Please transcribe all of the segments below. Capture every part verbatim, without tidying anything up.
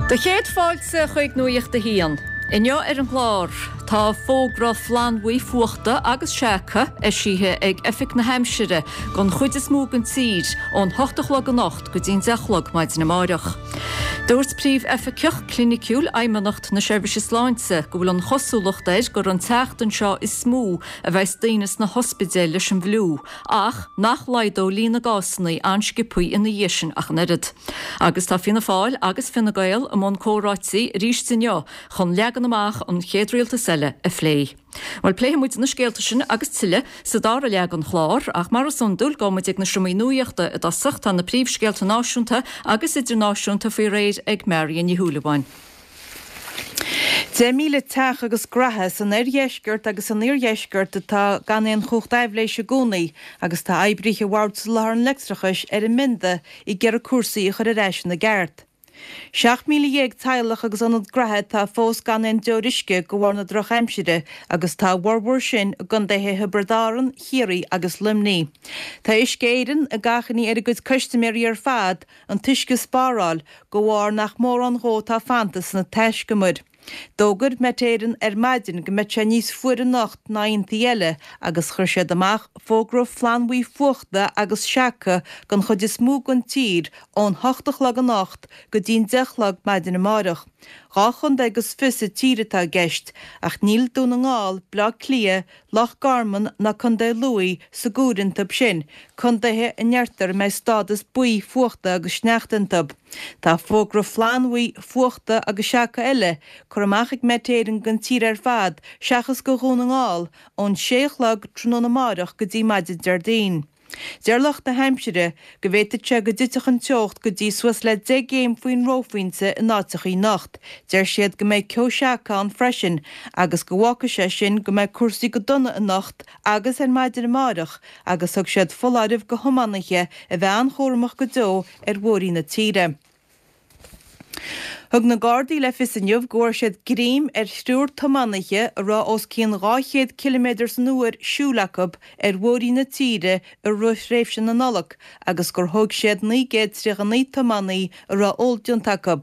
Do chéad fáilte chuig Nuacht a hAon. Inniu ar an gclár tá fógra flannbhuí fuachta agus seaca eisithe ag Oifig na hAimsire don chuid is mó den tír ón hocht a chlog anocht go dtí'n deich a chlog maidin amárach. Dúirt Príomh-Oifigeach Cliniciúil Fheidhmeannacht na Seirbhíse Sláinte go bhfuil an chosúlacht air gur an tseachtain seo is mó a bheas daoine sna hospidéil leis an bhfliú, ach nach laghdódh líon na gcásanna an-sciobtha ina dhiaidh sin ach an oiread. Agus tá Fianna Fáil agus Fine Gael i mbun comhráití arís inniu chun leagan amach an chéad rialtas eile a phlé. Bhuel pléifidh muid na scéalta sin agus tuilleadh sa dara leath den chlár, ach mar is iondúil gabhfaidh muid ag na seomraí nuachta i dtosach tá na príomhscéalta náisiúnta agus idirnáisiúnta faoi réir ag Marion Ní Shúilleabháin. Deich míle teach agus graithe san oirdheisceart agus san iardheisceart atá gan aon chumhacht aibhléise i gcónaí agus tá oibrithe Bhord Soláthair an Leictreachais ar a mbionda ag iarraidh cúrsaí a chur ar ais ina gceart. Seacht míle dhéag teaghlach agus ionad graithe atá fós gan aon deoir uisce de bharr na drochaimsire agus tá a bhformhór sin i gcontaetha Thiobraid Árann, Chiarraí agus Luimnigh. Tá Uisce Éireann ag achainí ar a gcuid custaiméirí ar fad an t-uisce a spáráil de bharr nach mórán dhó atá fanta sna taiscumair. D'fhógair Met Éireann ar maidin go mbeidh sé níos fuaire anocht ná aontaí eile agus chuir siad amach fógra flannbhuí fuachta agus seaca don chuid is mó den tír ón hocht a chlog anocht go dtí'n deich a chlog maidin amárach. Dhá chontae agus fiche sa tír atá i gceist, ach níl Dún na nGall, Bleá Cliath, Loch Garman ná Contae Lú sa gcomhaireamh iontu sin, contaetha a ndeirtear a mbeidh stádas buí fuachta agus sneachta iontu. Tá fógra flannbhuí fuachta agus seaca eile curtha amach ag Met Éireann don tír ar fad seachas go Dhún na nGall ón sé a chlog tráthnóna amárach go dtí maidin Déardaoin. Deir lucht na haimsire go bhféadfadh sé go dtitfeadh an teocht go dtí suas le deich gcéim faoin reophointe in áiteachaí anocht. Deir siad go mbeidh ceo seaca ann freisin agus go bhfágfaidh sé sin go mbeidh cúrsaí go dona anocht agus ar maidin amárach agus thug siad foláireamh go thiománaithe a bheith an-chúramach go deo ar bhóithrí na tíre. Thug na Gardaí le fios inniu go bhfuair siad greim ar thriúr tiománaithe a raibh os cionn dhá chéad ciliméadar san uair siúil acu ar bhóithrí na tíre i rith thréimhse na Nollag agus gur thóg siad naoi gcéad tríocha naoi tiománaí a raibh ól déanta acu.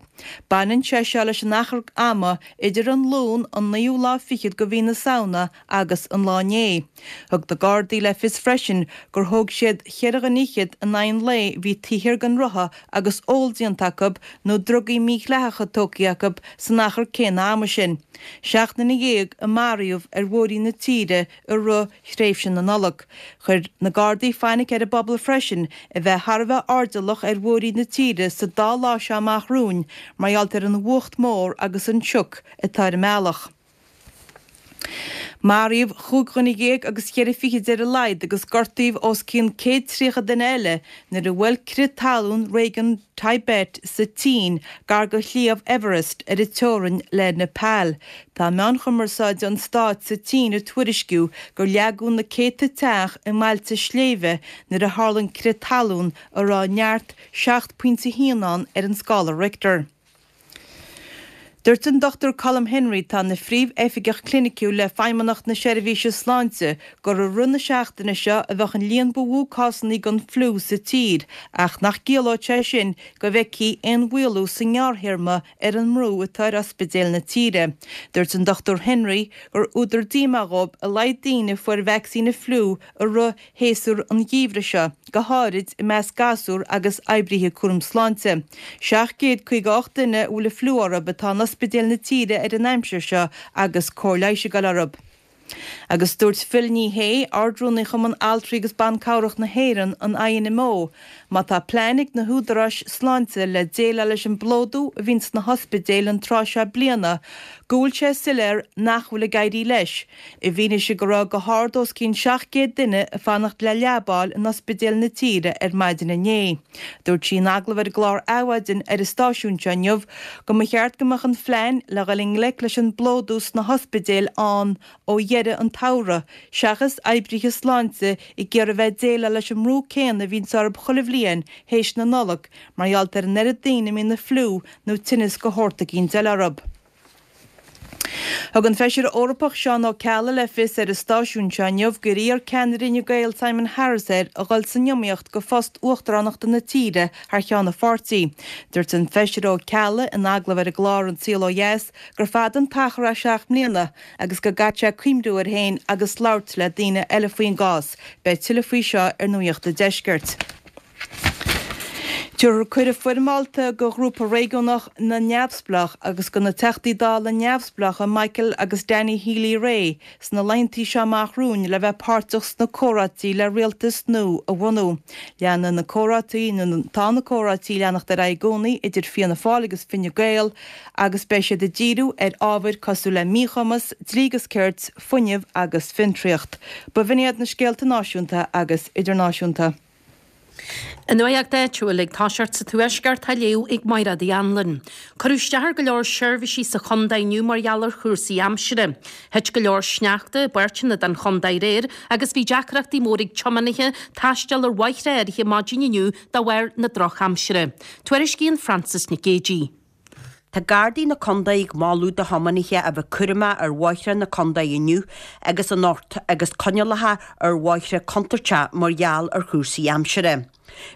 Baineann sé seo leis an achar ama idir an Luan an naoú lá fichead de mhí na Samhna agus an lá inné. Thug na Gardaí le fios freisin gur thóg siad cheithre dhuine fhichead in aghaidh an lae a bhí taobh thiar den rotha agus ól déanta acu nó drugaí mídhleathacha tógtha acu san achar céanna ama sin. Seacht nduine dhéag a maraíodh ar bhóithrí na tíre i rith thréimhse na Nollag. Chuir na Gardaí fainic ar an bpobal freisin a bheith thar a bheith airdeallach ar bhóithrí na tíre sa dá lá seo amach romhainn mar gheall ar an bhfuacht mór agus an sioc atá ar an mbealach. Maraíodh chúig dhuine dhéag agus cheithre fichid ar a laghad agus gortaíodh os cionn céad tríocha duine eile nuair a bhuail crith talún réigiún Tibet sa tSín gar do Shliabh Everest ar an teorainn le Nepal. Tá meáin chumarsáide an stáit sa tSín ag tuairisciú gur leagadh na céadta teach i mbailte sléibhe nuair a tharla an crith talún a raibh neart seacht pointe haon ann ar an scála Richter. Dúirt an Dochtúir Colm Henry, atá ina Phríomh-Oifigeach Cliniciúil le Feidhmeannacht na Seirbhíse Sláinte, gur i rith na seachtaine seo a bheadh an líon ba mhó cásanna den fliú sa tír ach nach gciallódh sé sin go bhfeicfí aon mhaolú sa ngearrthéarma ar an mbrú atá ar ospidéil na tíre. Dúirt an Dochtúir Henry gur údar díomá dhóibh a laghad daoine a fuair vacsaín an fliú i rith shéasúr an gheimhridh seo, go háirid i measc gasúr agus oibrithe cúram sláinte. seacht gcéad caoga a hocht duine a bhfuil an fliú orthu atá in ospidéil na tíre ar an aimsir seo agus cóir leighis ag dul orthu. Agus dúirt Phil Ní Sheaghdha, Ard-Rúnaí Chumann Altraí agus Ban Cabhrach na hÉireann, an INMO, má tá plean ag na húdaráis sláinte le déileáil leis an bplódú a bhíonn sna hospidéil an tráth seo bliana, go bhfuil sé soiléir nach bhfuil ag éirí leis, i bhfianaise go raibh go hard os cionn seacht gcéad duine ag fanacht le leaba a fháil in ospidéil na tíre ar maidin inné. Dúirt sí in agallamh ar an gclár Adhmhaidin ar an stáisiún seo inniu go mba cheart go mbeadh an phlean le dhul i ngleic leis an bplódú sna hospidéil ann ó dheireadh an tsamhraidh, seachas oibrithe sláinte ag iarraidh bheith ag déileáil leis an mbrú céanna a bhíonns orthu chuile bhliain théis na Nollag mar gheall ar an oiread daoine a mbíonn an fliú nó tinneas de shórt eicínt eile orthu. Thug an Feisire Eorpach Seán Ó Ceallaigh le fios ar an stáisiún seo inniu gur iarr ceannaire Fhine Gael Simon Harris air a dhul san iomaíocht go phost uachtaránachta na tíre thar cheann a pháirtí. Dúirt an Feisire Ó Ceallaigh in agallamh ar an gclár An Saol Ó Dheas gur fada an t-achar é seacht mbliana agus go gcaithfidh sé cuimhniú air féin agus labhairt le daoine eile faoin gcás. Beidh tuilleadh faoi seo ar Nuacht an Deiscirt. Tabharfar cuireadh foirmeálta go ghrúpa réigiúnach na neamhspleách agus go na Teachtaí Dála neamhspleácha Michael agus Danny Healy-Rae sna laethanta seo amach romhainn le bheith páirteach sna comhráití le rialtas nua a bhunú. Leanann na comhráití tá na comhráití leanacht ar aghaidh i gcónaí idir Fianna Fáil agus Fine Gael agus beidh siad ag díriú ar ábhair cosúil le míchumas, dlí agus cirt, fuinneamh agus fiontraíocht. B'in iad na scéalta náisiúnta agus idirnáisiúnta. An nuacht áitiúil ag toiseacht sa Tuaisceart á léamh ag Máire Uí Anluain. Cuireadh isteach ar go leor seirbhísí sa chontae inniu mar gheall ar chúrsaí aimsire. Thit go leor sneachta i bpáirteanna den chontae aréir agus bhí deacrachtaí mór ag tiománaithe taisteal ar bhóithre áirithe maidin inniu de bharr na drochaimsire. Tuairiscíonn Frances Nic Géadaigh. Tá Gardaí na Contae ag moladh do thiománaithe a bheith cúramach ar bhóithre na contae inniu agus anocht agus coinníollacha ar bhóithre contúirteach mar gheall ar chúrsaí aimsire.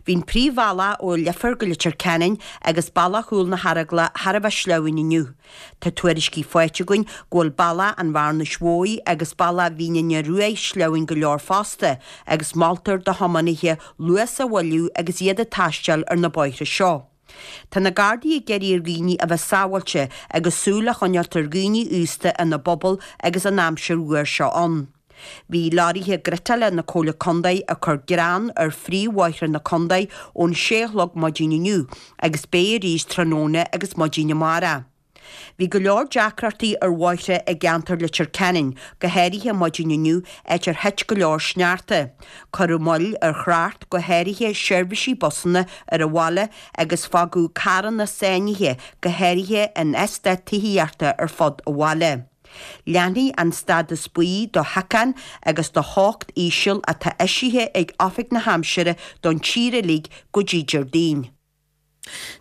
Bhí an príomhbhealach ó Leifear go Leitir Ceanainn agus bealach Chúil na hEaragla thar a bheith sleamhain inniu. Tá tuairiscí faighte againn go bhfuil bealach an Bhearnais Mhóir agus bealach Mhín na Ruaidh sleamhain go leor fosta agus moltar do thiománaithe luas a mhoilliú agus iad ag taisteal ar na bóithre seo. Tá na Gardaí ag iarraidh ar dhaoine a bheith sábháilte agus súil a choinneáil ar dhaoine aosta ina bpobal agus an aimsir fhuar seo ann. Bhí leoraithe griotála na Comhairle Contae ag cur grean ar phríomhbhóithre na contae ón sé a chlog maidin inniu agus beidh arís tráthnóna agus maidin amárach. Bhí go leor deacrachtaí ar bhóithre i gceantar Leitir Ceanainn, go háirithe maidin inniu, áit ar thit go leor sneachta. Cuireadh moill ar thrácht, go háirithe seirbhísí busanna ar an bhaile agus fágadh carranna sáinnithe, go háirithe in eastáit tithíochta ar fud an bhaile. Leanfaidh an stádas buí do shíocán agus do theocht íseal atá eisithe ag Oifig na hAimsire don tír uilig go dtí Déardaoin.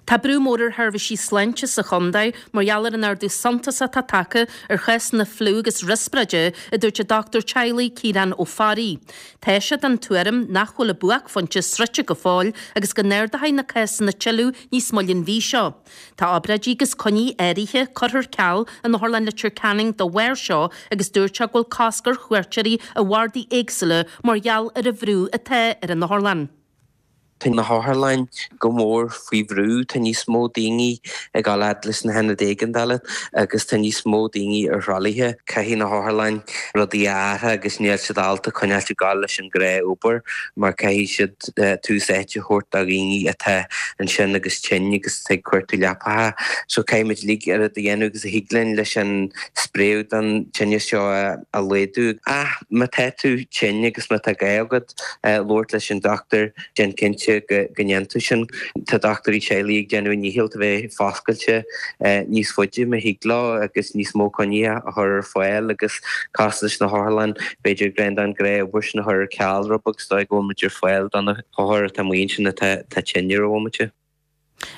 Tá brú mór ar sheirbhísí sláinte sa chontae mar gheall ar an ardú suntasach atá tagtha ar chásanna fliú agus riospráide, a dúirt an dochtúir teaghlaigh Ciarán Ó Fearraigh. Tá sé den tuairim nach bhfuil an buaicphointe sroichte go fóill agus go n-ardóidh na cásanna tuilleadh níos moille an mhí seo. Tá obráidí agus coinní áirithe curtha ar ceal in Otharlann Leitir Ceanainn dá bharr seo agus dúirt sé go bhfuil cosc ar chuairteoirí i bhardaí éagsúla mar gheall ar an bhrú atá ar an otharlann. Tá na hotharlanna go mór faoi bhrú, tá níos mó daoine ag dul fhad leis na hionaid éigeandála agus tá níos mó daoine ar thralaithe. Caithfidh na hotharlanna rudaí a athrú agus níl siad ábalta coinneáil ag gabháil leis an ghnáth-obair mar caithfidh siad tús áite a thabhairt do dhaoine atá ansin agus tinn agus ag cuartú leapacha. So caithfimid uilig oiread a dhéanamh agus a thig linn leis an spréadh don tinneas seo a laghdú. Ach má tá tú tinn agus má tá gá agat labhairt leis an dochtúir, déan cinnte go ndéanann tú sin. Tá dochtúirí teaghlaigh ag déanamh a ndícheall a bheith foscailte níos faide má thig leo agus níos mó coinnithe a chur ar fáil agus cosúil leis na hotharlanna b'fhéidir breandán gnáthobair sin a chur ar ceal rud beag is dóigh go bhfuil muid ar fáil do na hothair atá amuigh ansin atá tinn ar an bhomaite.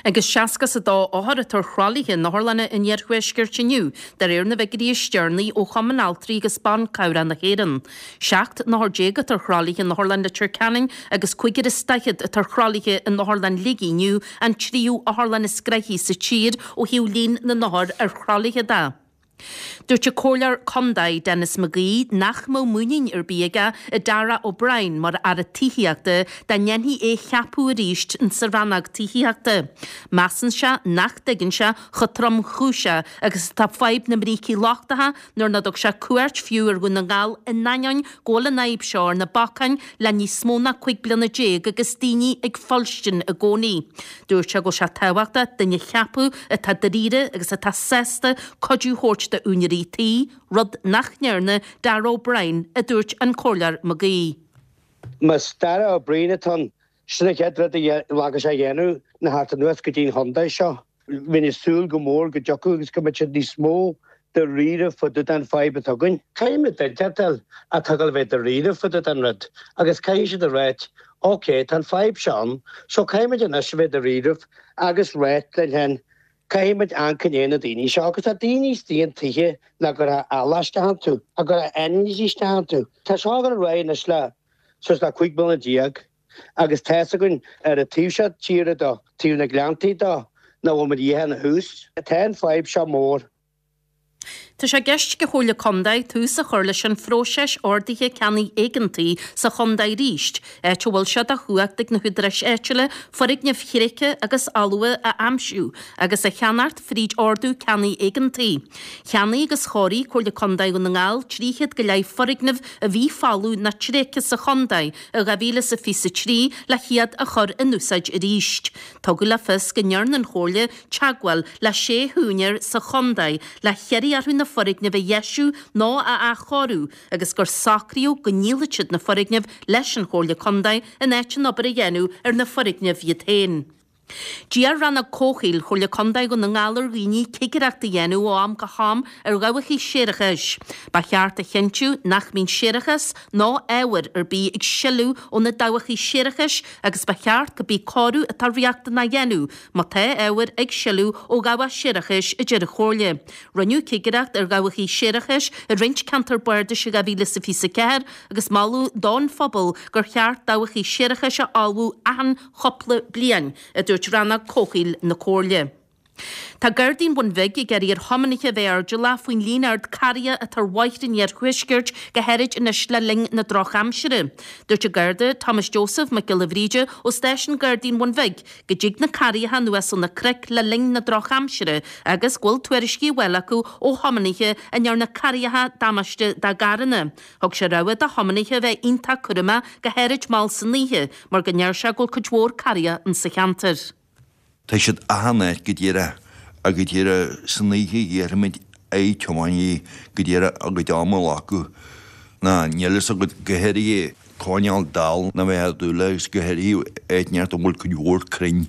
Agus seasca is a dó othar atá ar thralaithe in otharlanna an iarthuaiscirt inniu, de réir na bhfigiúirí is deireanaí ó Chumann Altraí agus Ban Cabhrach na hÉireann. Seacht n-othar déag atá ar thralaithe in Otharlann Leitir Ceanainn agus cúigear is daichead atá ar thralaithe in Otharlann Shligigh inniu, an tríú otharlann is gnoithí sa tír ó thaobh líon na n-othar ar thralaithe de. Dúirt an Comhairleoir Contae Denis McGee nach mbeadh muinín ar bith aige i Darragh O'Brien mar Aire Tithíochta dá ndéanfaí é a cheapadh arís sa rannóg tithíochta. Measann sé nach dtuigeann sé chomh tromchúiseach agus atá fadhb na mbrící lochtacha nuair nár thug sé cuairt fiú ar Dhún na nGall in ainneoin go bhfuil an fhadhb seo ar na bacáin le níos mó ná cúig bliana déag agus daoine ag fuilstin i gcónaí. Dúirt sé go bhfuil sé tábhachtach duine a cheapadh atá dáiríre agus atá sásta cuidiú a thabhairt d'úinéirí tí, rud nach ndearna Darragh O'Brien, a dúirt an Comhairleoir McGee. Más Darragh O'Brien atá ann, sin an chéad rud a rachadh sé a dhéanamh ná theacht anuas go dtí an chontae seo. Bheinn ag súil go mór go dtiocfadh agus go mbeadh siad níos mó dáiríre fá dtaobh den fadhb atá againn. Caithfimid duine a fháil atá ag dul a bheith dáiríre fá dtaobh den rud agus caithfidh siad a ráit, ok, tá an fadhb seo ann, so caithfimid anois a bheith dáiríre agus ráit linn féin, Caithfidh muid amharc i ndiaidh na daoine seo agus tá daoine istigh in tithe nach gcuirfeá eallach isteach iontu, a gcuirfeá ainmhithe isteach iontu. Tá seo ag dul ar aghaidh anois le suas le cúig bliana déag agus tá's againn ar an taobh seo tíre de, taobh na Gleanntaí de, nach bhfuil muid imithe ina thús. Tá an fadhb seo mór. Tá sé i gceist ag an Chomhairle Contae tús a chur leis an phróiseas ordaithe ceannaigh éigeantaigh sa chontae arís, áit a bhfuil sé de chumhacht ag na húdaráis áitiúla foirgnimh thréigthe agus fholmha a aimsiú agus a cheannacht fríd ordú ceannaigh éigeantaigh. Cheannaigh agus chóirigh Comhairle Contae Dhún na nGall trí chéad go leith foirgneamh a bhí folamh nó tréigthe sa chontae i dhá mhíle is a fiche a trí le hiad a chur in úsáid arís. Tugadh le fios go ndearna an Chomhairle teagmháil le sé húinéir sa chontae le hiarraidh orthu na foirgnimh a dheisiú nó a athchóiriú agus gur socraíodh go ndíolfadh siad na foirgnimh leis an Chomhairle Contae in áit an obair a dhéanamh ar na foirgnimh iad féin. D'iarr Rannóg Comhshaoil Chomhairle Contae Dhún na nGall ar dhaoine cigireacht a dhéanamh ó am go ham ar dhabhacha séarachais. Ba cheart a chinntiú nach mbíonn séarachas nó ábhar ar bith ag sileadh ó na dabhacha séarachais agus ba cheart cibé cóiriú atá riachtanach a dhéanamh má tá ábhar ag sileadh ó dhabhach séarachais, a deir an Chomhairle. Rinneadh cigireacht ar dhabhacha séarachais i roinnt ceantar bardais i dhá mhíle is a fiche a ceathair agus moladh don phobal gur cheart dabhacha séarachais a fholmhú achan chúpla bliain, a dúirt Rannóg Comhshaoil na Comhairle. Tá Gardaí an Bhun Bhig ag iarraidh ar thiománaithe a bheith airdeallach faoin líon ard carraithe atá ar bhóithre an iarthuaiscirt, go háirid anois le linn na drochaimsire. Dúirt an Garda Thomas Joseph Mac Giolla Bhríde ó Stáisiún Gardaí an Bhun Bhig go dtig na carraithe anuas ó na cnoic le linn na drochaimsire agus go bhfuil tuairiscí á bhfáil acu ó thiománaithe a ndearna carraithe damáiste dá gcarranna. Thug sé rabhadh do thiománaithe a bheith iontach cúramach, go háirid mall san oíche, mar go ndeir sé go bhfuil cuid mhór carraithe insa cheantar. Tá siad achan áit go díreach ach go díreach san oíche iarraimid ar thiománaithe go díreach a gcuid ama a ghlacadh ná níl fhios agat go háirithe coinneáil dall ná bheith ag dúil agus go háirithe áit inteacht a bhfuil cuid mhór crainn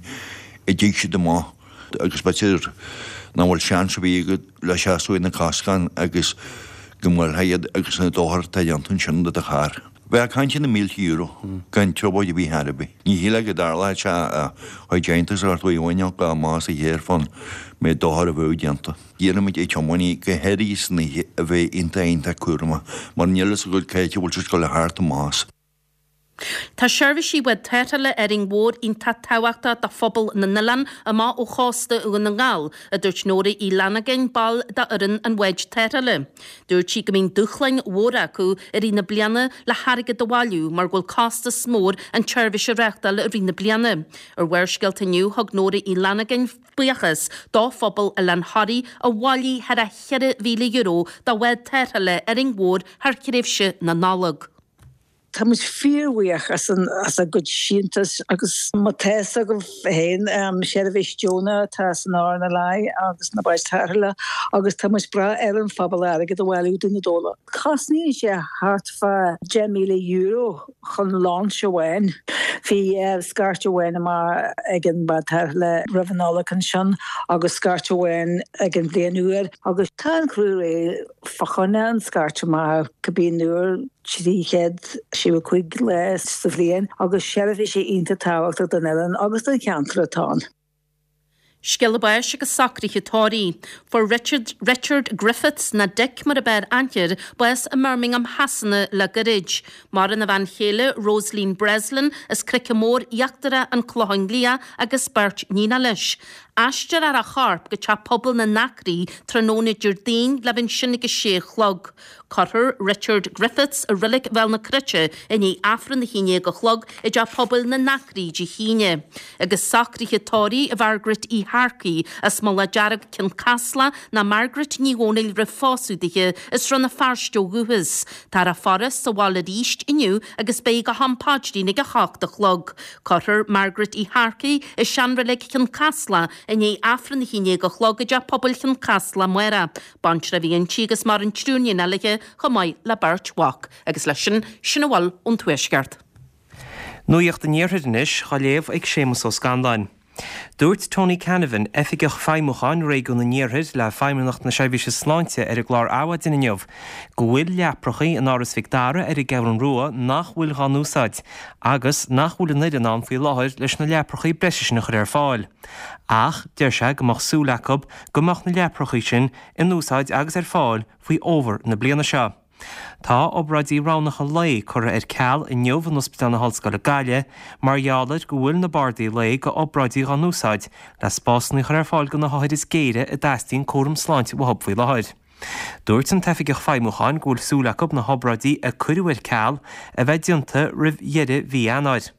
a dtig siad amach agus b'fhéidir nach bhfuil seans ar bith agat le seasamh ar na coscáin agus go mbuailfeá iad agus an dochar atá déanta ansin do do charr. Bheifeá ag caint ar na mílte euro gan trioblóid ar bith ar bith. Ní shílfeá go dtarlódh sé a chuid deontas a thabhairt uaidh amháin go amach as a chéir fán méid dochair a bheadh déanta. Iarraimid ar thiománaithe, go háirithe san oíche, a bheith iontach iontach cúramach mar níl fhios agat cá háit a bhfuil siad ag dul a theacht amach as. Tá seirbhísí bhád tarrthála Árainn Mhór iontach tábhachtach do phobal na n-oileán amach ó chósta Dhún na nGall, a dúirt Nóra Uí Fhlannagáin, ball d'fhoireann an bháid tarrthála. Dúirt sí go mbíonn dúshláin mhóra acu i rith na bliana le hairgead a bhailiú mar go bhfuil costas mór an tseirbhís a reáchtáil i rith na bliana. Ar Bharrscéalta inniu, thug Nóra Uí Fhlannagáin buíochas do phobal Oileán Thoraí a bhailigh thar a cheithre mhíle euro do bhád tarrthála Árainn Mhór thar thréimhse na Nollag. Tá muid fíorbhuíoch as an as a gcuid síntiús agus má tá fhios agaibh féin seirbhís deonach atá san RNLI agus na báid tarrthála agus tá muid ag brath ar an phobal airgead a bhailiú do na Dóla. Cosnaíonn sé thart fá deich míle euro chun launch amháin. Bhí scairt amháin amach ag an bád tarrthála roimh an Nollaig ansin agus scairt amháin ag an bhliain úr agus tá an criú réidh fá choinne an scairt amach cibé uair trí chéad seasca a cúig lá sa bhliain agus seirbhís iontach tábhachtach don oileán agus don cheantar atá ann. Scéala báis agus socruithe tórraimh. Fuair Richard, Richard Griffiths, nó Dick mar ab fhearr aithne air, bás i mBirmingham Shasana le gairid. Maireann a bhean chéile, Rosaleen Breslin, as Cnoice Mór Íochtarach, An Clochán Liath, agus beirt níonacha leis. Aistreofar a chorp go Teach Pobail na nAcraí tráthnóna Déardaoin le bheith ansin ag a sé a chlog. Cuirfear Richard Griffiths i Reilig Bhéal na Cruite i ndiaidh Aifreann a haon déag a chlog i dTeach Pobail na nAcraí Dé hAoine. Agus socruithe tórraimh Mhargaret Uí Shearcaigh as Mullach Dearg, Cionn Caslach, nó Margaret Ní Dhomhnaill roimh phósadh dithe, as Rann na Feirste ó dhúchas. Táthar á faire sa bhaile arís inniu agus beidh go ham paidrín ag a hocht a chlog. Cuirfear Margaret Uí Shearcaigh i seanreilig Chionn Caslach i ndiaidh Aifreann a haon déag a chlog i dTeach Pobail Chionn Caslach amárach. Baintreach a bhí inti agus maireann triúr iníon léi chomh maith le beirt mhac. Agus leis sin, sin a bhfuil ón Tuaisceart. Nuacht an Iarthair anois, á léamh ag Séamus Ó Scanláin. Dúirt Tony Canavan, Oifigeach Feidhmiúcháin Réigiún an Iarthair le Feidhmeannacht na Seirbhíse Sláinte ar an gclár Adhmhaidin inniu, go bhfuil leaprachaí in Áras Mhic Dara ar an gCeathrú Rua nach bhfuil dhá n-úsáid agus nach bhfuil an fhoireann ann faoi láthair leis na leaprachaí breise sin a chur ar fáil. Ach deir sé go mbeadh súil acu go mbeadh na leaprachaí sin in úsáid agus ar fáil faoi fhómhar na bliana seo. Tá obráidí roghnacha lae curtha ar ceal inniu in Ospidéal na hOllscoile Gaillimh mar gheall ar go bhfuil na bardaí lae go obráidí dhá n-úsáid le spásanna a chur ar fáil do na hothair is géire a dteastaíonn cúram sláinte uathu faoi láthair. Dúirt an tOifigeach Feidhmiúcháin go bhfuil súil acu na hobráidí a cuireadh ar ceal a bheith déanta roimh dheireadh mhí Eanáir.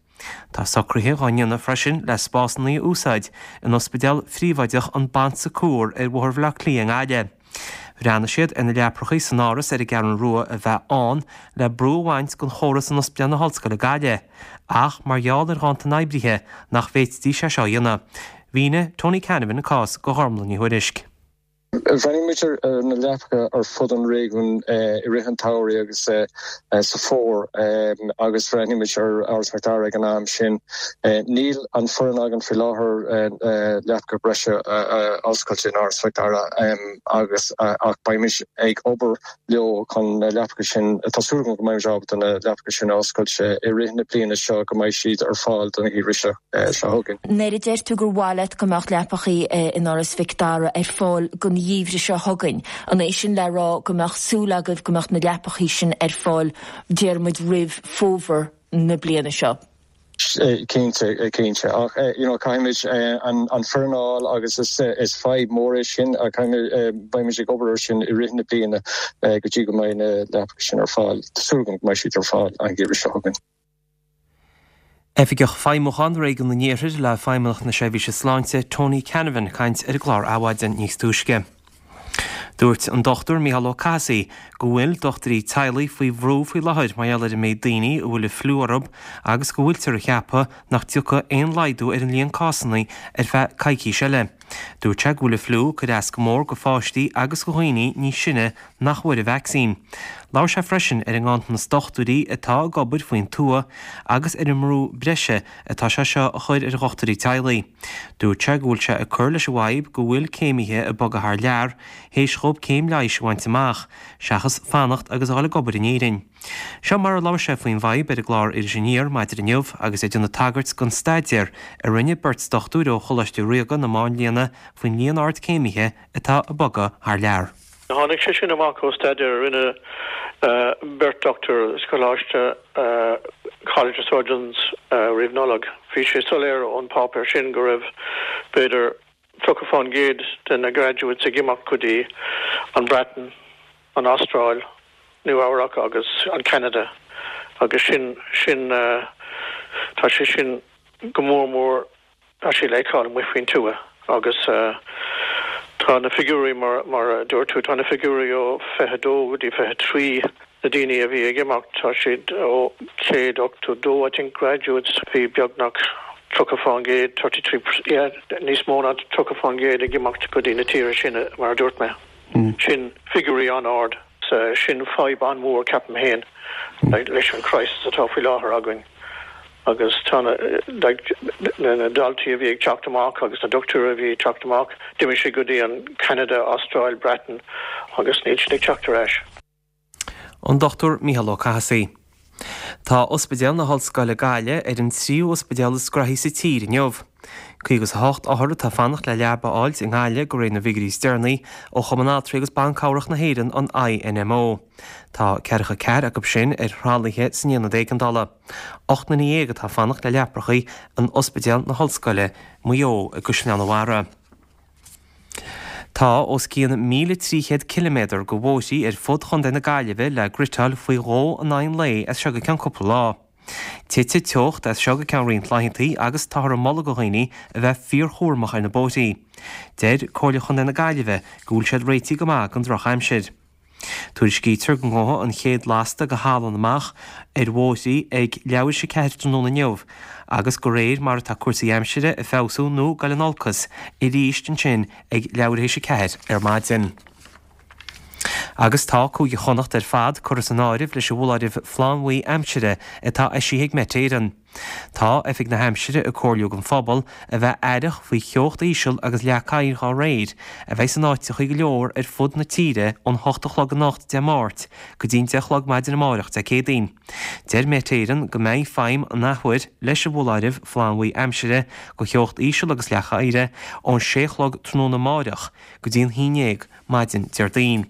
Tá socruithe dhá ndéanamh freisin le spásanna a úsáid in ospidéal phríobháideach an Bon Secours ar Bhóthar Bhaile Átha Cliath i nGaillimh. Bhreathnaigh siad ar na leaprachaí san áras ar an gCeathrú Rua a bheith ann le brú a bhaint den chóras in Ospidéal na hOllscoile Gaillimh, ach mar gheall ar ghanntan oibrithe nach bhféadfaidís é seo a dhéanamh. Mhínigh Tony Canavan an cás do Ghormlaith Ní Thuairisg. Bhreathnaigh muid ar na leapacha ar fud an réigiúin i rith an tsamhraidh agus sa fómhar agus bhreathnaigh muid ar Áras Mhic Dara ag an am sin. Níl an foireann againn faoi láthair leapacha breise a oscailt in Áras Mhic Dara agus ach beimid ag obair leo chun na leapacha sin, tá súil agam go mbeimid ábalta na leapacha sin a oscailt i rith na bliana seo go mbeidh siad ar fáil don gheimhreadh seo chugainn. Nuair a deir tú gur mhaith leat go mbeadh leapachaí in Áras Mhic Dara ar fáil don gheimhreadh seo chugainn, an é sin le rá go mbeadh súil agaibh go mbeadh na leapachaí sin ar fáil, déarfaidh muid, roimh fómhar na bliana seo? Cinnte, cinnte. Ach you know caithfimid an an foireann a fháil agus is is fadhb mór é sin ach caithfimid beimid ag obair ar sin i rith na bliana go dtí go mbeidh na leapacha sin ar fáil. Tá súil agam go mbeidh siad ar fáil an geimhreadh seo chugainn. Oifigeach Feidhmiúcháin Réigiún an Iarthair le Feidhmeannacht na Seirbhíse Sláinte, Tony Canavan, ag caint ar an gclár Adhmhaidin níos túisce. Dúirt an Dochtúir Mícheál Ó Cathasaigh go bhfuil dochtúirí teaghlaigh faoi bhrú faoi láthair mar gheall ar an méid daoine a bhfuil an fliú orthu agus go bhfuiltear ag ceapadh nach dtiocfaidh aon laghdú ar an líon cásanna ar feadh coicís eile. Dúirt sé go bhfuil an fliú ag cur as go mór go pháistí agus go dhaoine níos sine nach bhfuair an vacsaín. Labhair sé freisin ar an nganntanas dochtúirí atá ag obair faoin tuath agus ar an mbrú breise atá sé seo a chur ar dhochtúirí teaghlaigh. Dúirt sé go bhfuil sé ag cur leis an bhfadhb go bhfuil céimithe ag bogadh thar lear théis dhóibh céim leighis a bhaint amach, seachas fanacht agus a dhul ag obair in Éirinn. Seo mar a labhair sé faoin bhfadhb ar an gclár Iris Aniar maidin inniu agus é ag déanamh tagairt don staidéar a rinne beirt dochtúir ó Choláiste Ríoga na Máinlianna faoin líon ard céimithe atá ag bogadh thar lear. Tháinig sé sin amach ó staidéar a rinne beirt dochtúir sa choláiste College of Surgeons roimh Nollaig. Bhí sé soiléir ón páipéar sin go raibh b'fhéidir tríocha fán gcéad de na graduates ag imeacht go dtí an Bhreatain, an Astráil, Nua Eabhrac agus an Ceanada agus sin, sin, tá sé sin go mór mór, tá sé le feiceáil amuigh faoin tuath agus tá na figiúirí mar, mar a dúirt tú, tá na figiúirí ó fiche dó go dtí fiche trí na daoine a bhí ag imeacht, tá siad ó céad ochtó dó I think graduates, bhí beagnach tríocha fán gcéad, thirty three yeah, níos mó ná tríocha fán gcéad ag imeacht go dtí na tíortha sin mar a dúirt mé. Sin figiúirí an-ard. Sin fadhb an-mhór ceapaim féin leis an crisis atá faoi láthair againn agus tá na like na daltaí a bhí ag teacht amach agus na dochtúirí a bhí ag teacht amach, d'imigh siad go dtí an Canada, Astráil, Breatain agus níl siad ag teacht ar ais. An Dochtúir Mícheál Ó Cathasaigh. Tá Ospidéal na hOllscoile Gaillimh ar an tríú ospidéal is graithí sa tír inniu. Caoga is a hocht othar atá ag fanacht le leaba a fháilt i nGaillimh de réir na bhfigiúirí is deireanaí ó Chumann Altraí agus Ban Cabhrach na hÉireann, an INMO. Tá ceathracha ceathair acu sin ar thralaithe san aonad éigeandála. Ocht nduine dhéag atá ag fanacht le leaprachaí in Ospidéal na hOllscoile, Maigh Eo i gCaisleán an Bharraigh. Tá os cionn míle trí chéad ciliméadar de bhóithrí ar fud chontae na Gaillimhe le gritteáil faoi dhó in aghaidh an lae as seo go ceann cúpla lá. Titfidh teocht as seo go ceann roinnt laethanta agus táthar ag moladh do dhaoine a bheith fíorchúramach ar na bóithrí. Deir Comhairle Chontae na Gaillimhe go bhfuil siad réitithe go maith don drochaimsir. Tuairiscítear go ngabhfaidh an chéad lasta de shalann amach ar bhóithrí ag leathuair théis a ceathair tráthnóna inniu agus de réir mar atá cúrsaí aimsire ag feabhsú nó ag dul in olcas arís ansin ag leathuair théis a ceathair ar maidin. Agus tá Cúige Chonnacht ar fad curtha san áireamh leis an bhfoláireamh flannbhuí aimsire atá eisithe ag Met Éireann. Tá Oifig na hAimsire ag comhairliú don phobal a bheith aireach faoi theocht íseal agus leac oighir dhá réir, a bheidh in áiteachaí go leor ar fud na tíre ón hocht a chlog anocht Dé Máirt go dtí'n deich a chlog maidin amárach Dé Céadaoin. Deir Met Éireann go mbeidh feidhm an athuair leis an bhfoláireamh flannbhuí aimsire do theocht íseal agus leac oighir ón sé a chlog tráthnóna amáireach go dtí an haon déag maidin Déardaoin.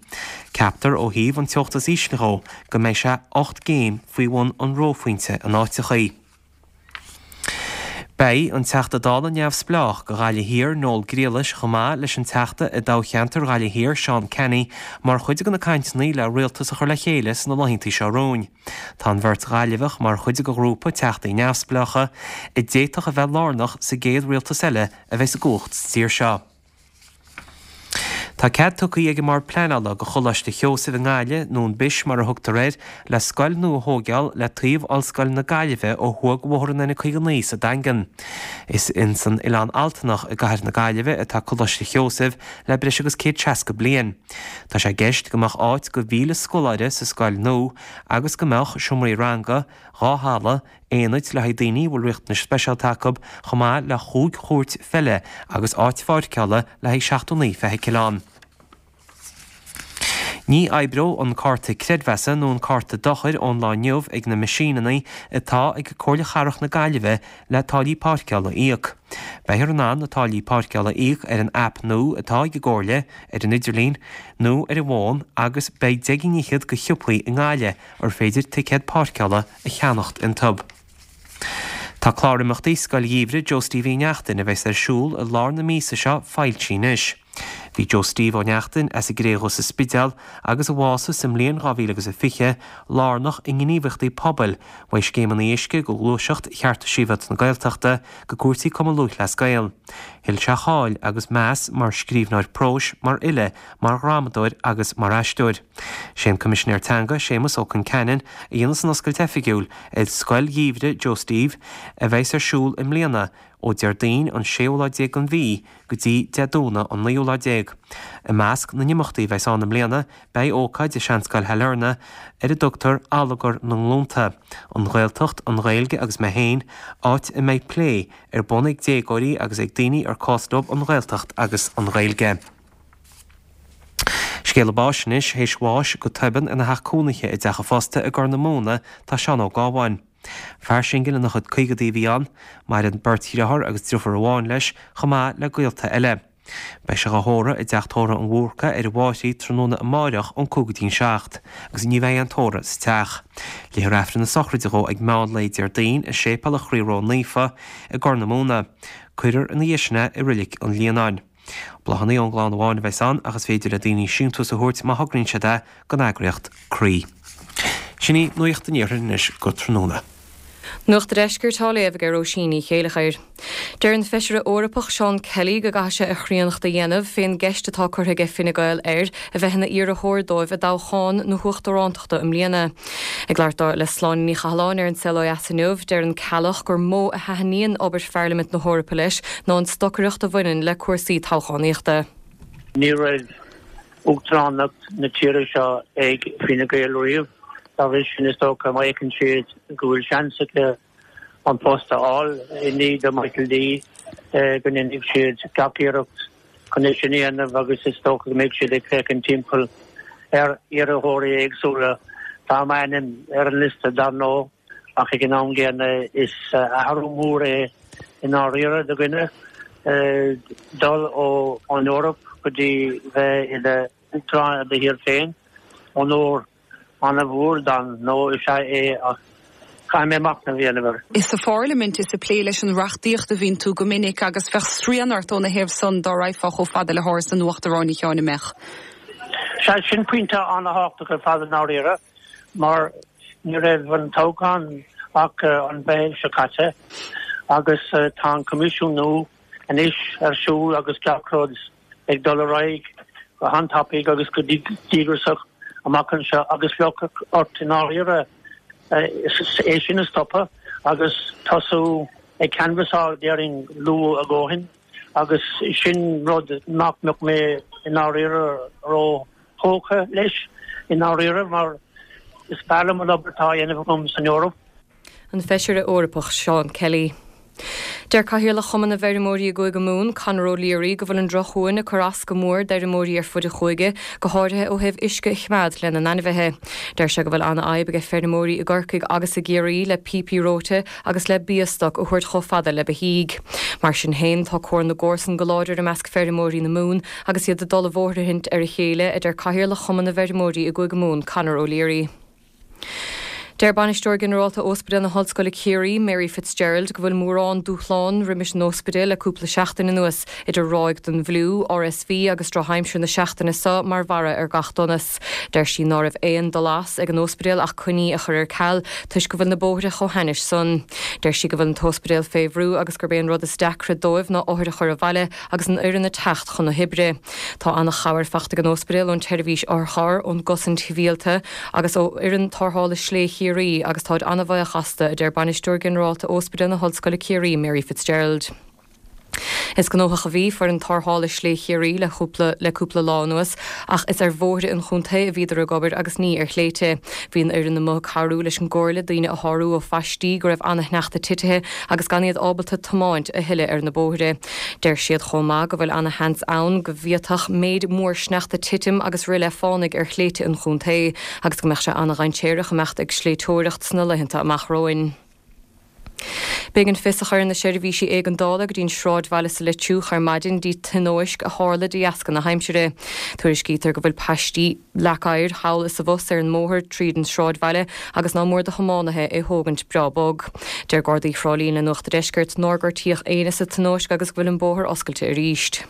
Ceaptar ó thaobh an teocht is ísle dhó go mbeidh sé ocht gcéim faoi bhun an reophointe in áiteachaí. Beidh an Teachta Dála neamhspleách do Ghaillimh Thiar, Noel Grealish, chomh maith leis an Teachta i dtoghcheantar Ghaillimh Thiar, Seán Canney, mar chuid de na cainteanna le rialtas a chur le chéile sna laethanta seo romhainn. Tá an bheirt Ghaillimheach mar chuid de ghrúpa Teachtaí neamhspleácha a d'fhéadfadh a bheith lárnach sa gcéad rialtas eile a bheidh i gcumhacht sa tír seo. Tá cead tugtha ag an mBord Pleanála do Choláiste Sheosaimh i nGaillimh, nó an Bish mar a thugtar air, le scoil nua a thóigeáil le taobh Ollscoil na Gaillimhe ó thuaidh de Bhóthar an N caoga naoi sa Daingean. Is ins an Oileán Altanach i gcathair na Gaillimhe atá Coláiste Sheosaimh le breis agus céad seasca bliain. Tá sé i gceist go mbeadh áit do mhíle scoláire sa scoil nua agus go mbeadh seomraí ranga, dhá halla, aonaid le haghaidh daoine a bhfuil riachtanais speisialta acu, chomh maith le chúig chúirt pheile agus áit pháirceála le haghaidh seachtó naoi feithicil ann. Ní oibreoidh an cárta creidmheasa nó an cárta dochair ón lá inniu ag na meaisíneanna atá ag Comhairle Chathrach na Gaillimhe le táillí páirceála a íoc. Beifear in ann na táillí páirceála a íoc ar an aip nua atá ag an gComhairle ar an idirlíon nó ar an bhfón agus beidh deich gcinn fhichead de shiopaí i nGaillimh ar féidir ticéad páirceála a cheannacht iontu. Tá clár imeachtaí Scoil Gheimhridh Joe Steve Uí Neachtain a bheas ar siúl i lár na míosa seo foilsithe anois. Bhí Joe Steve Ó Neachtain as an gCré Dhubh sa Spidéal agus a bhásaigh sa mbliain dhá mhíle agus a fiche, lárnach i ngníomhaíochtaí pobail, uaidh scéimeanna uisce go gluaiseacht Chearta Sibhialta na Gaeltachta go cúrsaí Cumann Lúthchleas Gael. Thuill sé cáil agus meas mar scríbhneoir próis, mar fhile, mar dhrámadóir agus mar aisteoir. Sé an Coimisinéir Teanga, Séamus Ó Concheanainn, a dhéanfas an oscailt oifigiúil ar Scoil Gheimhridh Joe Steve a bheas ar siúl i mbliana ó Déardaoin an séú lá déag den mhí go dtí Dé Domhnaigh an naoú lá déag. I measc na n-imeachtaí a bheas ann i mbliana beidh ócáid i Seanscoil Shailearna ar a dtugtar Allagar na nGlúnta, An Ghaeltacht, an Ghaeilge agus mé féin, áit a mbeidh plé ar bun ag déagóirí agus ag daoine ar cás leo an Ghaeltacht agus an Ghaeilge. Scéala báis anois, théis bháis go tobann ina theach cónaithe i dteach a phosta i gCorr na Móna tá Seán Ó Gábháin. Fear singil ina chuid caogaidí a bhí ann. Maireann beirt dhriotháir agus driofúr amháin leis, chomh maith le gaolta eile. Beidh sé dhá thórramh i dteach tórraimh an Bhúrca ar an bhFairche tráthnóna amáireach ón cúig go dtí'n seacht, agus ní bheidh aon tórramh sa teach. Léifear Aifreann na sochraide dhó ag meán lae Déardaoin i Séipéal an Chroí Ró-Naofa i gCorr na Móna. Cuirfear ina dhiaidh sin é i Roilic an Líonáin. Bláthanna ón gclann amháin a bheas ann ach is féidir le daoine síntiús a thabhairt má thograíonn siad é don eagraíocht Croí. Sin í Nuacht an Iarthair anois go tráthnóna. Nuacht an Deiscirt á léamh ag Róisín Ní Chéileachair. Deir an Feisire Eorpach Seán Kelly go gcaithfidh sé a chríonnacht a dhéanamh fén gceist atá curtha aige Fine Gael air a bheith ina iarrthóir dóibh i dtoghchán na huachtarántachta i mbliana. Ag labhairt dó le Sláine Ní Chathalláin ar An Saol Ó Dheas inniu, deir an Ceallach gur mó a thaitníonn obair Pharlaimint na hEorpa leis ná an stocaireacht a bhaineann le cúrsaí toghchánaíochta. Ní raibh uachtaránacht na tíre seo ag Fine Gael riamh. Dá bhrí sin, is dócha, má fheiceann siad go bhfuil seans acu an post a fháil i ndiaidh do Michael D, go ndéanfaidh siad gach iarracht chun é sin a dhéanamh agus is dócha go mbeidh siad ag féachaint timpeall ar iarrthóirí éagsúla. Tá m'ainm ar an liosta, dar ndóigh, ach ag an am gcéanna is athrú mór é i ndáiríre do dhuine dul ón Eoraip go dtí bheith i d'uachtarán ar do thír féin. Onóir an-mhór dar ndóigh is ea é ach caithfidh mé machnamh a dhéanamh air. Is sa pharlaimint is ag plé leis an reachtaíocht a bhíonn tú go minic agus bheadh srian ort óna thaobh san dá raghfá chomh fada le hÁras an Uachtaráin, a Sheáin, an mbeadh? Sea, sin pointe an-thábhachtach ar fad i ndáiríre mar ní raibh an toghchán ach an Mheitheamh seo caite agus tá an Coimisiún nua anois ar siúl agus gach rud ag dul ar aghaidh go han-tapaidh agus go díograiseach amach anseo agus bheadh ort i ndáiríre é sin a stopadh agus tosú ag canbhasáil déarfainn luath a dhóthain agus sin rud nach mbeadh mé i ndáiríre ró-thógtha leis i ndáiríre mar is fearr liom an obair atá á dhéanamh agam san Eoraip. An Feisire Eorpach Seán Kelly. Deir Cathaoirleach Chumann na bhFeirmeoirí i gCúige Mumhan, Conor O'Leary, go bhfuil an drochshuan ag cur as go mór d'fheirmeoirí ar fud an chúige, go háirithe ó thaobh uisce a choimeád lena n-ainmhithe. Deir sé go bhfuil an-fhadhb ag feirmeoirí i gCorcaigh agus i gCiarraí le píopaí reoite agus le biastoc a thabhairt chomh fada le beithígh. Mar sin féin, tá comhar na gcomharsan go láidir i measc feirmeoirí na Mumhan agus iad ag dul i bhfóirithint ar a chéile, a deir Cathaoirleach Chumann na bhFeirmeoirí i gCúige Mumhan, Conor O'Leary. Deir Bainisteoir Ginearálta Ospidéal na hOllscoile Ciarraí, Mary Fitzgerald, go bhfuil mórán dúshlán roimis an ospidéal le cúpla seachtain anuas, idir ráig den bhfliú, R S V agus drochaimsir na seachtaine seo mar bharra ar gach donas. Deir sí ná raibh aon dul as ag an ospidéal ach coinní a chur ar ceal toisc go bhfuil na bóithre chomh hainnis san. Deir sí go bhfuil an t-ospidéal fé bhrú agus gurb é an rud is deacra dóibh ná othair a chur abhaile agus an fhoireann ag teacht chun na hoibre. Tá an-chabhair faighte ag an ospidéal ón tseirbhís otharcharr, ón gcosaint shibhialta agus ó fhoireann tarrthála Slé Chiarraí agus táid an-bhuíoch astu, a deir Bainisteoir Ginearálta Ospidéal na hOllscoile Ciarraí, Mary Fitzgerald. Is gnóthach a bhí foireann tarrthála Slé Chiarraí le cúpla le cúpla lá anuas ach is ar bhóithre an chontae a bhíodar ag obair agus ní ar shléibhte. Bhí an fhoireann amuigh ag cabhrú leis an gcomhairle daoine a shárú ó phaistí go raibh an-shneachta titithe agus gan iad ábalta tiomáint a thuilleadh ar na bóithre. Deir siad chomh maith go bhfuil an-sheans ann go bhféadfadh méid mór sneachta titim agus rith le fánaigh ar shléibhte an chontae agus go mbeadh sé an-dainséarach imeacht ag sléibhteoireacht sna laethanta amach romhainn. B'éigean fios a chur na seirbhísí éigeandála go dtí an sráidbhaile sa Leitriúch ar maidin de thionóisc a tharla de dheasca na haimsire. Tuairiscítear go bhfuil paistí leac oighir thall is abhus ar an mbóthar tríd an sráidbhaile agus ná mór do thiománaithe é thógaint breá bog. Deir Gardaí Thrá Lí le Nuacht an Deiscirt nár gortaíodh éinne sa tionóisc agus go bhfuil an bóthar oscailte arís.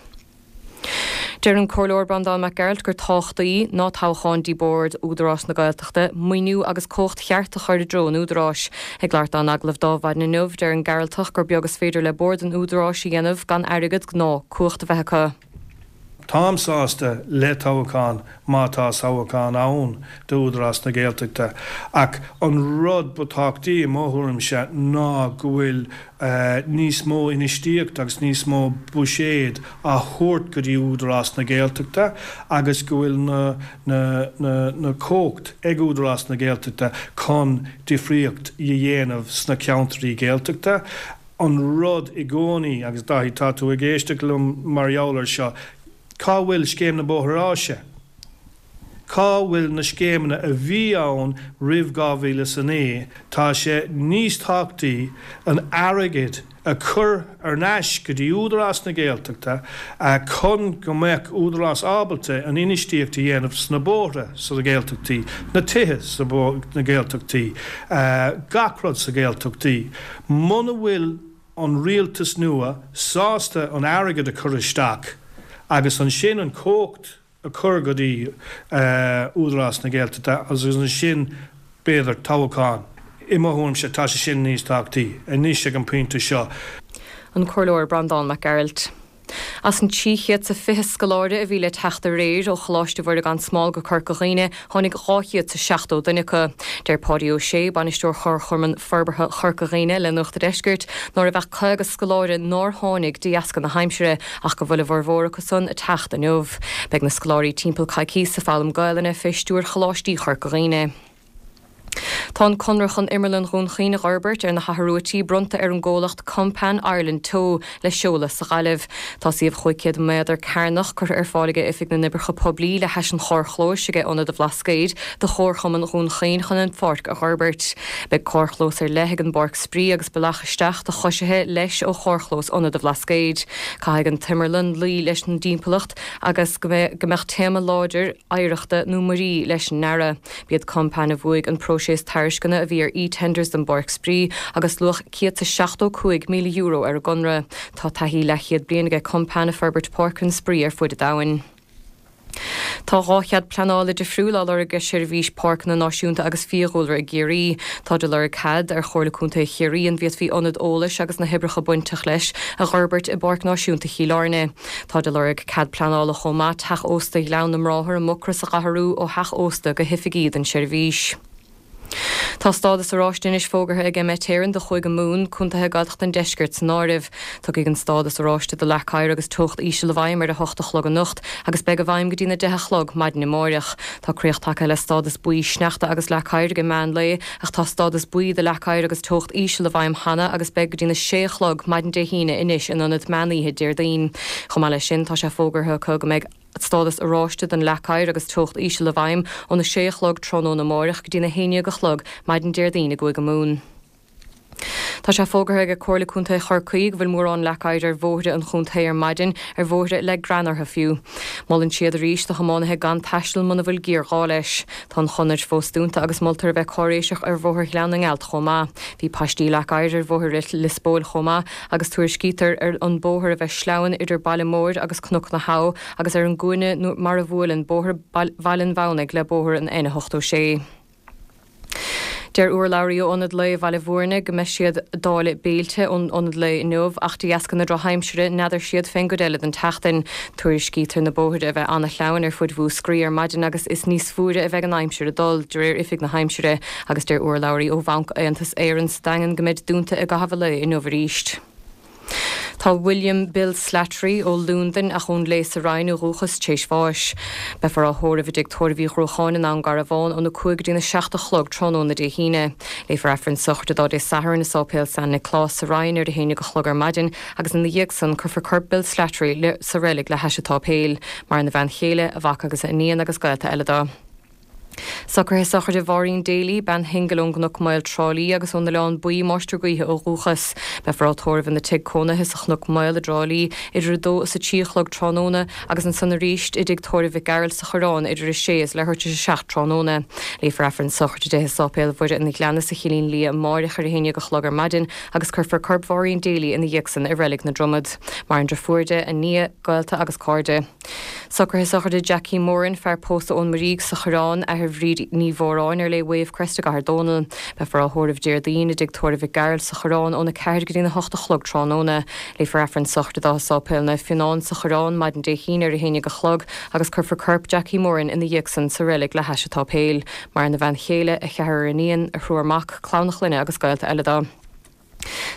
Deir an Comhairleoir Breandán Mac Gearailt gur tábhachtaí ná toghchán do Bhord Údarás na Gaeltachta, maoiniú agus cumhacht cheart a chur i dtreo an Údaráis. Ag labhairt dó in agallamh d'Adhmhaidin inniu, deir an Gearaltach gur beag is féidir le bord an Údaráis a dhéanamh gan airgead ná cumhacht a bheith acu. Táim sásta le toghchán má tá toghchán ann d'Údarás na Gaeltachta ach an rud ba thábhachtaí i mo thuairimse ná go bhfuil uh, níos mó infheistíocht agus níos mó buiséad á thabhairt go dtí Údarás na Gaeltachta agus go bhfuil na, na, na, na cumhacht ag Údarás na Gaeltachta chun difríocht a dhéanamh sna ceantraí Gaeltachta. An rud i gcónaí agus Dáithí tá tú ag éisteacht liom mar gheall air seo, cá bhfuil scéim na mbóithre áise? Cá bhfuil na scéimeanna a bhí ann roimh dhá mhíle is a naoi, tá sé níos tábhachtaí an airgead a chur ar ais go dtí Údarás na Gaeltachta chun go mbeadh Údarás ábalta an infheistíocht a dhéanamh sna bóithre sa Ghaeltachtaí, na tithe sa na Gaeltachtaí, gach rud sa Ghaeltachtaí. Muna bhfuil an rialtas nua sásta an airgead a chur isteach agus ansin an cumhacht a chur go dtí uh, Údarás na Gaeltachta agus ansin b'fhéidir toghchán. I mo thuairimse tá sé sin níos tábhachtaí, anois ag an bpointe seo. An Comhairleoir Breandán Mac Gearailt. As an trí chéad sa fiche scoláire a bhí le teacht aréir ó Choláiste Mhuire gan Smál go Corca Dhuibhne tháinig dhá chéad sa seachtó duine acu. Deir Páidí Ó Sé, bainisteoir Chomharchumann Forbartha Chorca Dhuibhne le Nuacht an Deiscirt, ná raibh ach caoga scoláire nár tháinig de dheasca na haimsire ach go bhfuil a bhformhór acu san ag teacht inniu. Beidh na scoláirí timpeall coicís ag foghlaim Gaelainne fé stiúir Choláistí Chorca Dhuibhne. Tá an conradh chun Imearlann Dhún Chaoin a fhorbairt ar na hAthair bronnta ar an gcomhlacht Kompan Ireland Teo le seoladh sa Ghaillimh. Tá suíomh chúig chéad méadar cearnach curtha ar fáil ag Oifig na nOibreacha Poiblí le hais an charrchlóis ag Ionad an Bhlascaoid do Chomharchumann Dhún Chaoin chun an pháirc a fhorbairt. Beidh carrchlós ar leith ag an bpáirc spraoi agus bealach isteach do choisithe leis ó charrchlós Ionad an Bhlascaoid. Caithfidh an t-imearlann luí leis an dtimpeallacht agus go mbeadh téama láidir oidhreachta nó muirí leis an ndearadh. B'iad Kompan a bhuaigh an próiseas tairisceana a bhí ar eTenders don bpáirc spraoi agus luach céad seachtó cúig míle euro ar an gconradh. Tá taithí leathchéad bliain ag Kompan ag forbairt páirceanna spraoi ar fud an domhain. Tá dhá chead pleanála difriúil á lorg ag Seirbhís Páirceanna Náisiúnta agus Fiadhúlra i gCiarraí. Tá de lorg cead ar Chomhairle Contae Chiarraí an bhféadfaí ionad eolais agus na hoibreacha bainteach leis a fhorbairt i bPáirc Náisiúnta Chill Airne. Tá de lorg cead pleanála chomh maith teach ósta Ghleann na mBráthar i Mucros a athrú ó theach ósta go hoifigí don seirbhís. Tá stádas oráiste anois fógartha ag Met Éireann do Chúige Mumhan, contaetha Gaeltachta an Deiscirt san áireamh. Tiocfaidh an stádas oráiste do leac oighir agus teocht íseal i bhfeidhm ar a hocht a chlog anocht agus beidh i bhfeidhm go dtí na deich a chlog maidin amáireach. Tá críoch tagtha le stádas buí sneachta agus leac oighir ag meán lae ach tá stádas buí do leac oighir agus teocht íseal i bhfeidhm cheana agus beidh go dtí na sé a chlog maidin Dé hAoine anois in ionad meán oíche Déardaoin. Chomh maith leis sin tá sé fógartha acu go mbeidh stádas oráiste don leac oighir agus teocht íseal i bhfeidhm óna sé a chlog tráthnóna amáireach go dtí na haon déag a chlog maidin Déardaoin i gCúige Mumhan. Tá sé fógartha ag Comhairle Contae Chorcaí go bhfuil mórán leac oighir ar bhóithre an chontae ar maidin, ar bhóithre le grean orthu fiú. Molann siad arís do thiománaithe gan taisteal muna bhfuil géarghá leis. Tá an chonair fós dúnta agus moltar a bheith cáiréiseach ar Bhóthar Ghleann na nGealt chomh maith. Bhí paistí leac oighir ar Bhóthar Lios Póil chomh maith agus tuairiscítear ar an bóthar a bheith sleamhain idir Baile Móir agus Cnoc na hAbha agus ar an gcúinne mar a bhuaileann Bóthar Bhaile an Mhamhnaigh le Bóthar an N ochtó sé. Deir urlabhraí ó Ionad Lae Bhaile Bhúirne go mbeidh siad ag dáileadh béilte ón Ionad Lae inniu ach de dheasca na drochaimsire n'fheadar siad fén gcuid eile den tseachtain. Tuairiscítear na bóithre a bheith ana-shleamhain ar fud Mhúscraí ar maidin agus is níos fuaire a bheidh an aimsir ag dul, de réir Oifig na hAimsire, agus deir urlabhraí ó Bhanc Aontas Éireann sa Daingean go mbeid dúnta i gcaitheamh an lae inniu arís. Tá William Bill Slattery ó Londain ach ón Léith sa Rinn ó dhúchas t'éis bháis. Beifear á thórramh i dtigh tórraimh Uí Ghruacháin i nDún Garbhán óna cúig go dtína seacht a chlog tráthnóna Dé hAoine. Léifear Aifreann sochraide dó Dé Sathairn i Sáipéal San Nioclás sa Rinn ar a haon déag a chlog ar maidin agus ina dhiaidh san cuirfear corp Bill Slattery sa reilig le hais an tsáipéil. Maireann a bhean chéile, a mhac agus a iníon agus gaolta eile dó. Socruithe sochraide Mháirín Daly, bean shingil ón gCnoc Maol, Trá Lí agus ón Oileán Buí, Máistir Gaoithe ó dhúchas. Beifear á tórramh ina tigh cónaithe sa Chnoc Maol i dTrá Lí idir a dó is a trí a chlog tráthnóna agus ansan arís i dtigh tórraimh Mhic Gearailt sa Choireán idir a sé is leathuair tar éis a seacht tráthnóna. Léifear Aifreann sochraide di i Sáipéal Mhuire an Ghleanna sa Chillín Liath amáireach ar a haon déag a chlog ar maidin agus cuirfear corp Mháirín Daly ina dhiaidh san i Reilig na Dromad. Maireann driofúr di, a nia, gaolta agus cairde. Socruithe sochraide Jackie Moran, fear pósta ón Muirígh sa Choireán, athair Bhríd Ní Mhóráin ar léi Wavecrest i gCathair Dónall. Beifear á thórramh Déardaoin i dtigh tórraimh Mhic Gearailt sa Choireán óna ceathair go dtína hocht a chlog tráthnóna. Léifear Aifreann sochraide dó i Sáipéal Naomh Fionán sa Choireán maidin Dé hAoine ar a haon déag a chlog agus cuirfear corp Jackie Moran ina dhiaidh san sa reilig le hais an tsáipéil. Maireann a bhean chéile, a cheathrar iníon, a thriúr mac, clann a chlainne agus gaolta eile dó.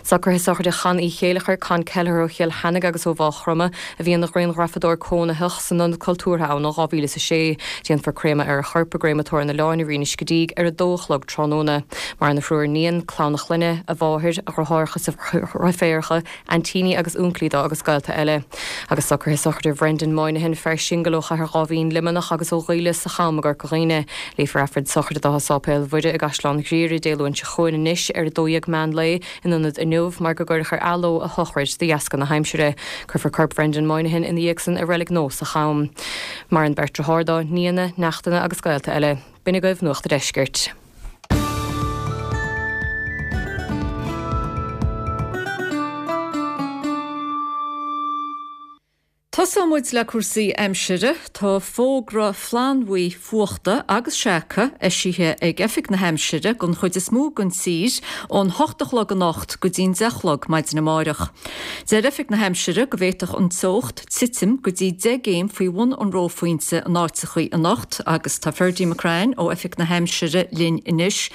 Socruithe sochraide Chon Uí Chéileachair, Con Kelleher ó Chill Cheannaigh agus ó Mhaigh Chromtha, a bhí ina ghrianghrafadóir cónaitheach san Ionad Cultúrtha ann ó dhá mhíle is a sé. Déanfar créamadh ar a chorp i gCréamatóir an Oileáin i Rinn an Scidígh ar a dó a chlog tráthnóna. Maireann a thriúr iníon, clann a chlainne, a mháthair, a dheartháireacha is a dhreiféaracha, aintíní agus únclaí dó agus gaolta eile. Agus socruithe sochraide Bhrendan Moynihan, fear singil ó Chathair Dháibhín, Luimneach agus ó Ghaoille sa Cham i gCorca Dhuibhne. Léifear Aifreann sochraide dó i Sáipéal Mhuire i gCaisleán Ghriaire Dé Luain seo chugainn anois ar a dó dhéag meán lae in ionad inniu mar go gcuireadh ar athló a shochraid de dheasca na haimsire. Cuirfear corp Bhrendan Moynihan ina dhiaidh san i Reilig Nua sa Cham. Maireann beirt deartháir dó, nianna, neachtanna agus gaolta eile. B'in agaibh Nuacht a' Deiscirt. Tosóidh muid le cúrsaí aimsire. Tá fógra flannbhuí fuachta agus seaca eisithe ag Oifig na hAimsire don chuid is mó den tír ón hocht a chlog anocht go dtí'n deich a chlog maidin amáireach. Deir Oifig na hAimsire go bhféadfadh an teocht titim go dtí deich gcéim faoi bhun an reophointe in áiteachaí anocht agus tá Ferdie McCrann ó Oifig na hAimsire linn anois.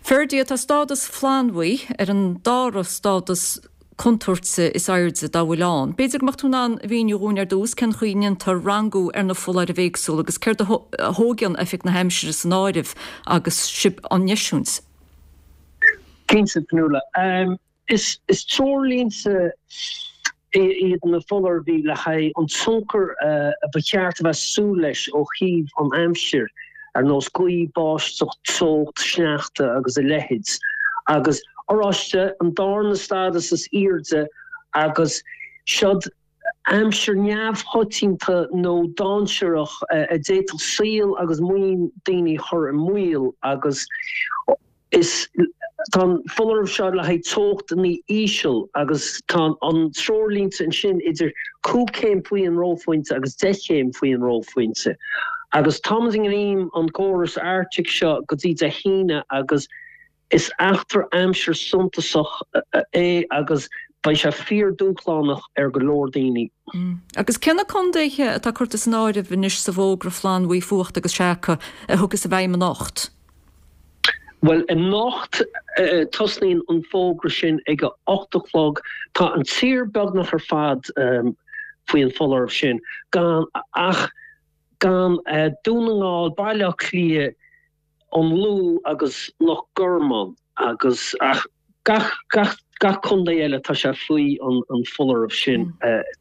Ferdie, tá stádas flannbhuí ar an dara stádas contúirte is airde dá bhfuil ann. B'fhéidir go mbeadh tú in ann a mhíniú dhúinn ar dtús cén chaoi a ndéantar rangú ar na foláirimh éagsúla agus céard a thógann Oifig na hAimsire san áireamh agus sibh á n-eisiúint. Cinnte, Fionnuala. Is treoirlínte iad na foláirimh le haghaidh an tionchar a ba cheart a bheith súil leis ó thaobh an aimsir, ar nós gaoth, báisteach, teocht, sneachta agus a leithéid. Agus oráiste, an darna stádas is airde agus seod aimsir neamhchoitianta nó dainséarach a d'fhéadfadh saol agus maoin daoine a chur i mbaol agus is tá an foláireamh seo le haghaidh teochtanna íseal agus tá an treoirlínte ansin idir cúig chéim faoi an reophointe agus deich chéim faoi an reophointe agus táimid i ngreim an gcóras Arctic seo go dtí Dé hAoine agus Is eachtra aimsire suntasach é agus beidh sé fíor-dúshlánach ar go leor daoine. Agus cé na contaetha atá curtha san áireamh anois sa bhfógra flannbhuí fuachta agus seaca a thiocfas i bhfeidhm anocht? Bhuel, anocht tosnaíonn an fógra sin ag a ocht a chlog. Tá an tír beagnach ar fad faoi an foláireamh sin, gan ach gan Dún na nGall, Baile Átha Cliath, an Lú agus Loch Garman agus ach gach gach gach contae eile tá sé faoi an an foláireamh sin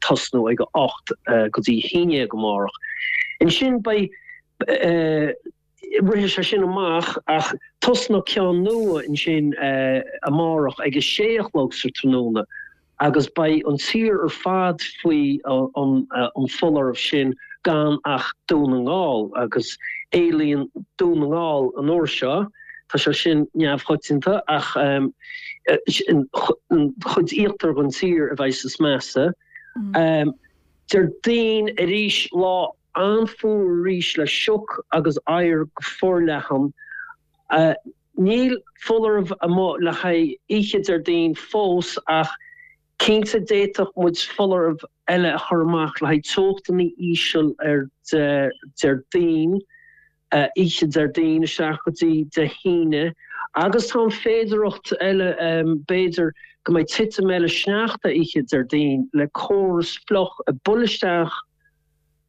tosnú ag a ocht go dtí a haon déag amárach. Ansin beidh Rithfidh sé sin amach ach tosnóidh ceann nua ansin amárach ag a sé a chlog sa tráthnóna agus beidh an tír ar fad faoi an foláireamh sin gan ach Dún na nGall agus éalaíonn Dún na nGall an uair seo. Tá sé sin neamhchoitianta ach an chuid íochtar den tír a bheidh is measa. Déardaoin arís lá an-fhuar arís le sioc agus oighear go forleathan. Níl foláireamh amuigh le haghaidh oíche Déardaoin fós ach cinnte d'fhéadfadh muid foláireamh eile a chur amach le haghaidh teochtanna íseal ar Déardaoin. oíche Déardaoin isteach go dtí Dé hAoine agus tá an féidearthacht eile b'fhéidir go mbeidh titim eile sneachta oíche Déardaoin le córas fliuch ag bualadh isteach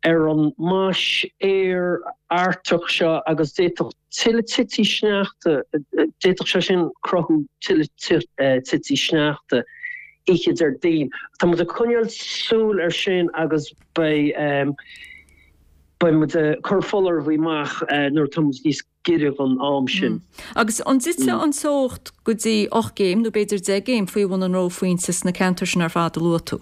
ar an mais aeir Artach seo agus d'fhéadfadh tuilleadh tití sneachta, d'fhéadfadh sé sin cruthú tuilleadh tití sneachta oíche Déardaoin. Tá muid ag coinneáil súil air sin agus beidh. Beidh muid ag cur foláireamh amach nuair atá muid níos giorra don am sin. Agus an dtitfidh an teocht go dtí ocht gcéim nó b'fhéidir deich gcéim faoi bhun an reophointe sna ceantair sin ar fad a luaigh tú?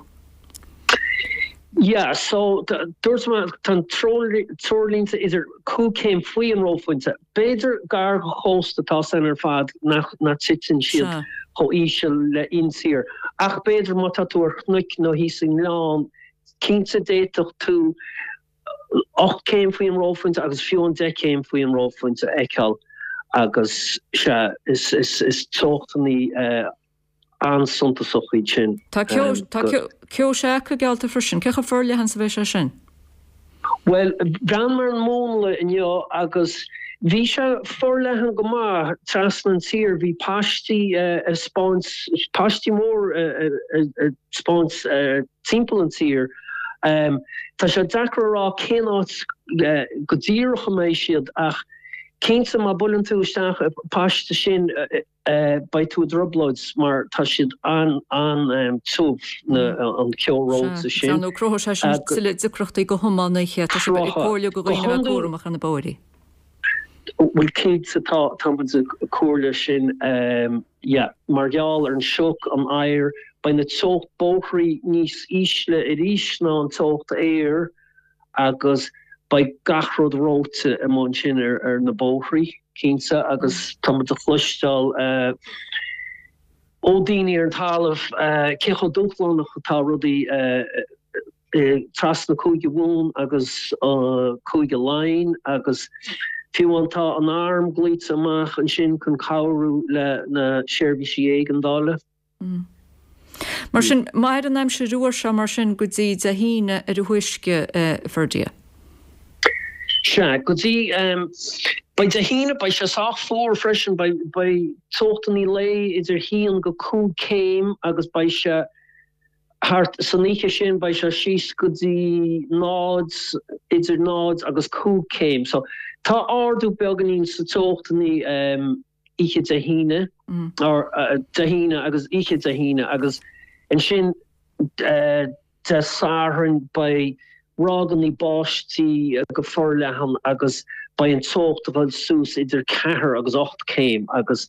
Yeah, so dúirt mé tá an treoirlínte idir cúig chéim faoi an reophointe. B'fhéidir gar don chósta tá san ar fad nach dtiteann siad chomh íseal le intír. Ach b'fhéidir má tá tú ar chnoic nó thíos i ngleann, cinnte d'fhéadfadh tú ocht céim faoi an reophointe agus fiú an deich céim faoi an reophointe a fheiceáil agus sea, is is teochtanna an-suntasach iad sin. Tá ceo seaca geallta freisin. Cé chomh forleathan is a bheidh sé sin? Bhuel, bhreathnaigh mé ar an múnla inniu agus bhí sé forleathan go maith trasna an tír. Bhí paistí ag 'spáint, paistí mór ag 'spáint timpeall an tír. Tá sé deacair a rá cén áit go díreach a mbeidh siad ach cinnte má buaileann tú isteach i bpaiste sin beidh tú i dtrioblóid mar tá siad an-tiubh an ceo reoite sin. Sea, nó cruthóidh sé sin tuilleadh deacrachtaí do thiománaithe. Tá sibh ag comhairliú do dhaoine a bheith cúramach ar na bóithrí. Bhuel cinnte tá, tá muid ag comhairliú sin, yeah. Mar gheall ar an sioc, an oighear, beidh na teocht bóithrí níos ísle arís ná an teocht aeir agus beidh gach rud reoite amuigh ansin ar ar na bóithrí, cinnte, agus tá muid a chloisteáil ó daoine ar an talamh cé chomh dúshlánach atá rudaí trasna Cúige Mumhan agus Cúige Laighean agus fiú amháin tá an arm glaoite amach ansin chun cabhrú le na seirbhísí éigeandála. Mar sin, mairfidh an aimsir fhuar seo mar sin go dtí Dé hAoine ar a thúisce, a Ferdia? Sea, go dtí, beidh Dé hAoine, beidh sé sách fuar freisin, beidh, beidh teochtanna lae idir haon go cúig céim agus beidh sé thart, san oíche sin beidh sé síos go dtí náid, idir náid agus cúig céim. So, tá ardú beagáinín sa teochtanna oíche Dé hAoine, or Dé hAoine agus oíche Dé hAoine agus ansin Dé Sathairn beidh ráigeanna báistí go forleathan agus beidh an teocht ag dul suas idir ceathair agus ocht céim agus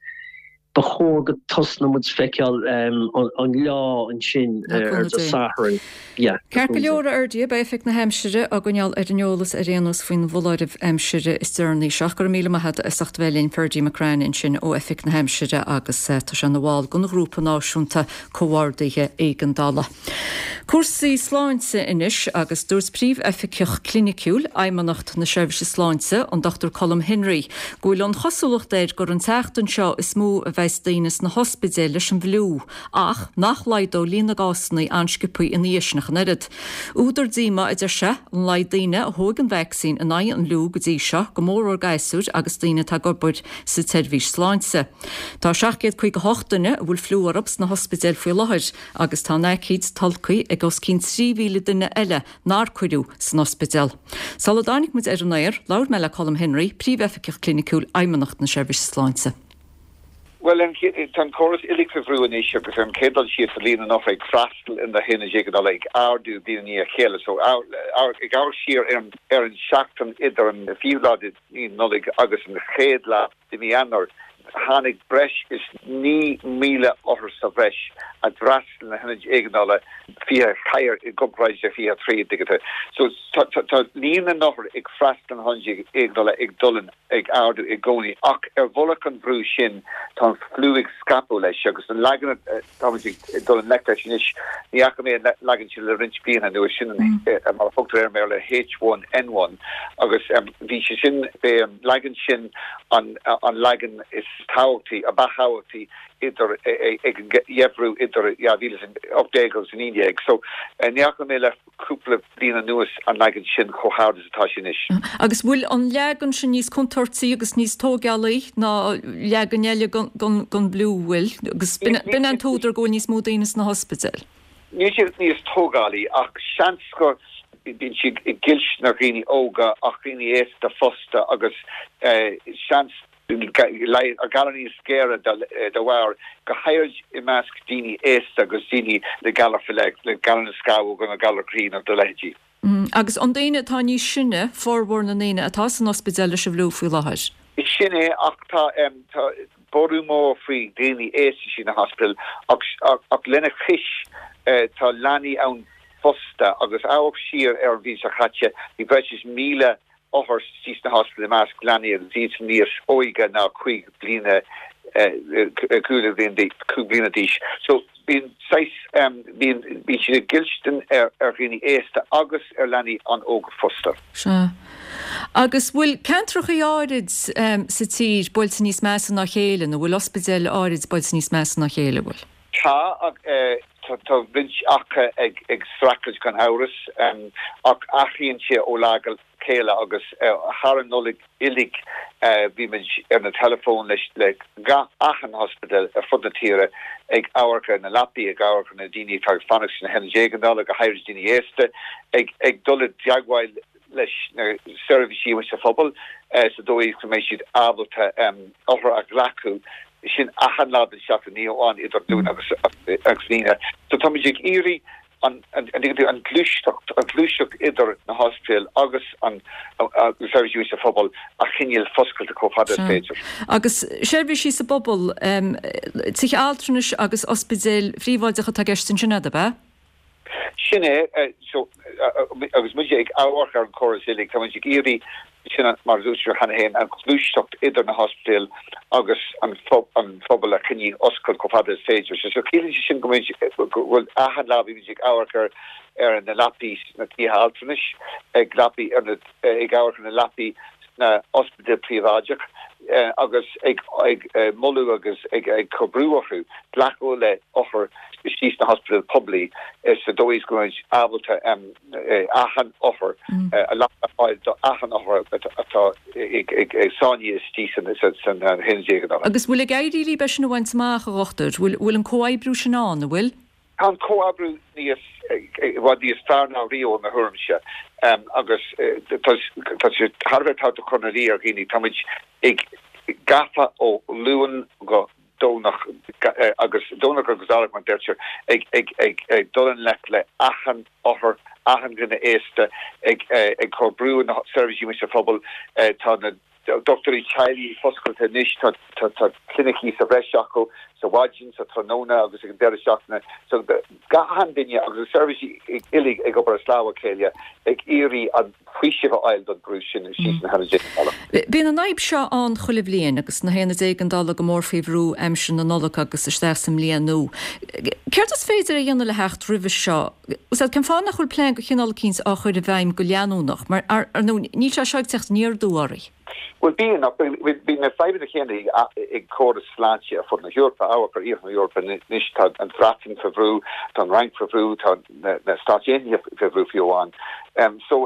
ba chóir go tosnóidh muid feiceáil an leá ansin ar Dé Sathairn. Yeah. Ceart go leor, a Fherdia, beidh Oifig na hAimsire á gcoinneáil ar an eolas ar aon nós faoin bhfoláireamh aimsire is deireanaí seo. Go raibh míle maith agat as ucht a bheith linn, Ferdia McCrann ansin ó Oifig na hAimsire agus tá sé ina bhall den Ghrúpa Náisiúnta Comhordaithe Éigeandála. Cúrsaí sláinte anois agus dúirt Príomhoifigeach Cliniciúil Fheidhmeannacht na Seirbhíse Sláinte, an Dochtúir Colm Henry, go bhfuil an chosúlacht air gur an tseachtain seo is mó a bheas daoine sna hospidéil leis an bhfliú, ach nach laghdóidh líon na gcásanna an-sciobtha ina dhiaidh sin ach an oiread. Údar díomá, a deir sé, an laghad daoine a thóg an vacsaín in aghaidh an fhliú go dtí seo, go mórmhór gasúir agus daoine atá ag obair sa tseirbhís sláinte. Tá seacht gcéad caoga a hocht duine a bhfuil fliú orthu sna hospidéil faoi láthair agus tá an aicíd tolgtha ag os cionn trí mhíle duine eile nár cuireadh san ospidéal. Sula dtáinig muid ar an aer, labhair mé le Colm Henry, Príomhoifigeach Cliniciúil Fheidhmeannacht na Seirbhíse Sláinte. Bhuel, tá an córas uilig faoi bhrú anois agus ar an chéad dul síos tá líon na n-othar ag freastal ar na haonaid éigeandála ag ardú bliain i ndiaidh a chéile. So, ag amharc siar ar an seachtain idir an fichiú lá de mhí Nollaig agus an chéad lá de mhí Eanáir, Tháinig breis is naoi míle othar sa bhreis a d'fhreastail na hionaid éigeandála fiche a ceathair i gcomparáid le fiche a trí digite. So tá líon na n-othar ag freastal na hionaid éigeandála ag dul ag ardú i gcónaí ach ar mhullach an bhrú sin tá an fliú ag scaipeadh leis agus an leagan atáimid ag dul i ngleic leis anois ní fhaca mé an leagan sin le roinnt blianta anuas sin mar a thugtar air i mBéarla H one N one agus bhí sé sin b'é an leagan sin an leagan is tábhachtaí, a ba thábhachtaí idir ag an gheimhreadh idir dhá mhíle is a hocht déag agus a naoi déag. So ní fhaca mé le cúpla bliain anuas an leagan sin chomh hard is atá sé anois. Agus bhfuil an leagan sin níos contúirtí agus níos tógálaí ná leagan eile den bhfliú, bhfuil? Agus b'in an t-údar go bhfuil níos mó daoine sna hospidéil? Níl siad níos tógálaí ach seans go bíonn siad ag goilliúint ar dhaoine óga ach daoine aosta fosta agus seans galar níos géire dá bharr, go háirid i measc daoine aosta agus daoine le galar faoi leith, le galar na scamhóg nó galar croí nó dá leithéidí. Agus an daoine atá níos sine, formhór na ndaoine atá san ospidéal leis an bhfliú faoi láthair? Sin é, ach tá borradh mór faoi dhaoine aosta sna hospidéil ach lena chois tá leanaí ann fosta agus amharc siar ar an bhliain seo caite, bhí breis is míle othar istigh sna hospidéil i measc leanaí agus iad níos óige ná cúig bliana cúig bliana d'aois. So bíonn saghas, bíonn, bíonn siad ag goilliúint ar ar dhaoine aosta agus ar leanaí an-óga fosta. Sea. Agus bhfuil ceantrachaí áirid sa tír buailte níos measa ná a chéile nó bhfuil ospidéil áirid buailte níos measa ná a chéile, bhfuil? Tá, tá roinnt acu ag ag streachailt gan amhras, ach athraíonn sé ó lá go chéile agus thar an Nollaig uilig bhí muid ar na teileafóin leis le gach achan ospidéal ar fud na tíre ag amharc ar na leapaí, ag amharc ar na daoine atá ag fanacht sna hionaid éigeandála, go háirid daoine aosta, ag ag dul i dteagmháil leis na seirbhísí amuigh sa phobal sa dóigh is go mbeidh siad ábalta othair a ghlacadh. Sin achan lá den seachtain, ní amháin idir Luan agus agus Aoine. So táimid ag iarraidh an an ghluaiseacht, an ghluaiseacht idir na hospidéil agus an na seirbhísí sa phobal a choinneáil foscailte chomh fada is féidir. Agus seirbhísí sa bpobal, tithe altranais agus ospidéil phríobháideacha atá i gceist ansin, ab ea? Sin é, so agus muid ag amharc ar an chóras uilig, tá muid ag iarraidh sin, mar a dúirt mé cheana féin, an ghluaiseacht idir na hospidéil agus an phobal a choinneáil oscailte chomh fada is féidir. So ciallaíonn sé sin go bhfuil achan lá bímid ag amharc ar ar na leapaí sna tithe altranais, ag leapaí ar na ag amharc ar na leapaí sna ospidéil príobháideach agus ag ag moladh agus ag ag cur brú orthu glacadh le othair istigh sna hospidéil poiblí sa dóigh is go mbeimid ábalta achan othar a leapa a fháil do achan othar atá ag sáinnithe istigh san haonad éigeandála. Agus bhfuil ag éirí libh é sin a bhaint amach, a dhochtúir? Bhfuil an comhoibriú sin ann, an bhfuil? Tá an comhoibriú níos, i bhfad níos fearr ná riamh i mo thuairimse agus tá sé thar a bheith tábhachtach cur ina luí ar dhaoine, táimid ag gafa ó Luan go Domhnach agus Domhnach agus Domhnach mar deirtear, ag ag ag ag dul i ngleic le achan othar, achan dhuine aosta, ag ag cur brú ar na seirbhísí amuigh sa phobal. Tá na dochtúirí teaghlaigh foscailte anois, tá tá tá clinicí sa bhreis acu, sa mhaidin, sa tráthnóna agus ag an deireadh seachtaine. So gach duine agus na seirbhísí uilig ag obair as lámha a chéile ag iarraidh an faoiseamh a fháil don brú sin istigh sna hionaid éigeandála. Bíonn an fhadhb seo ann chuile bhliain agus na haonaid éigeandála go mór faoi bhrú aimsir na Nollag agus isteach sa mbliain nua. Céard is féidir a dhéanamh le theacht roimhe seo? Cén fáth nach bhfuil plean de chineál eicínt á chur i bhfeidhm go leanúnach? Mar ar ndóigh níl sé seo ag teacht aniar aduaidh oraibh. Bhuel bíonn, ach bíonn na fadhbanna céanna ag córas sláinte ar fud na hEorpa, amharc ar iarthar na hEorpa anois, tá an Bhreatain faoi bhrú, tá an Fhrainc faoi bhrú, tá na Stáit Aontaithe faoi bhrú fiú amháin. So,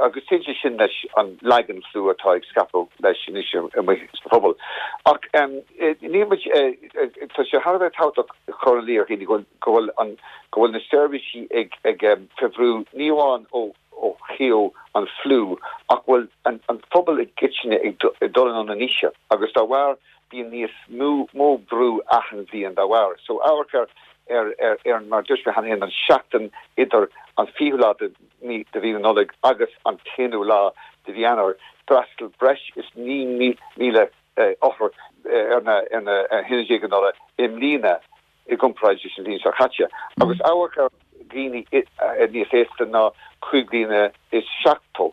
agus téann sé sin leis an leagan fliú atá ag scaipeadh leis anois amuigh sa phobal. Ach níl muid, tá sé thar a bheith tábhachtach chur in iúl do dhaoine go bhfuil an, go bhfuil na seirbhísí ag ag faoi bhrú ní amháin ó ó thaobh an fliú ach bhfuil an an phobal i gcoitinne ag dul anonn in aois agus dá bharr bíonn níos mó mó brú achan bhliain dá bharr. So amharc ar ar ar ar mar dúirt mé cheana féin an seachtain idir an fichiú lá de mí de mhí na Nollag agus an t-aonú lá de mhí Eanáir d'fhreastail breis is naoi míle othar ar na ar na hionaid éigeandála i mbliana i gcomparáid leis an bhliain seo caite. Agus amharc ar dhaoine níos aosta ná cúig bliana is seachtó,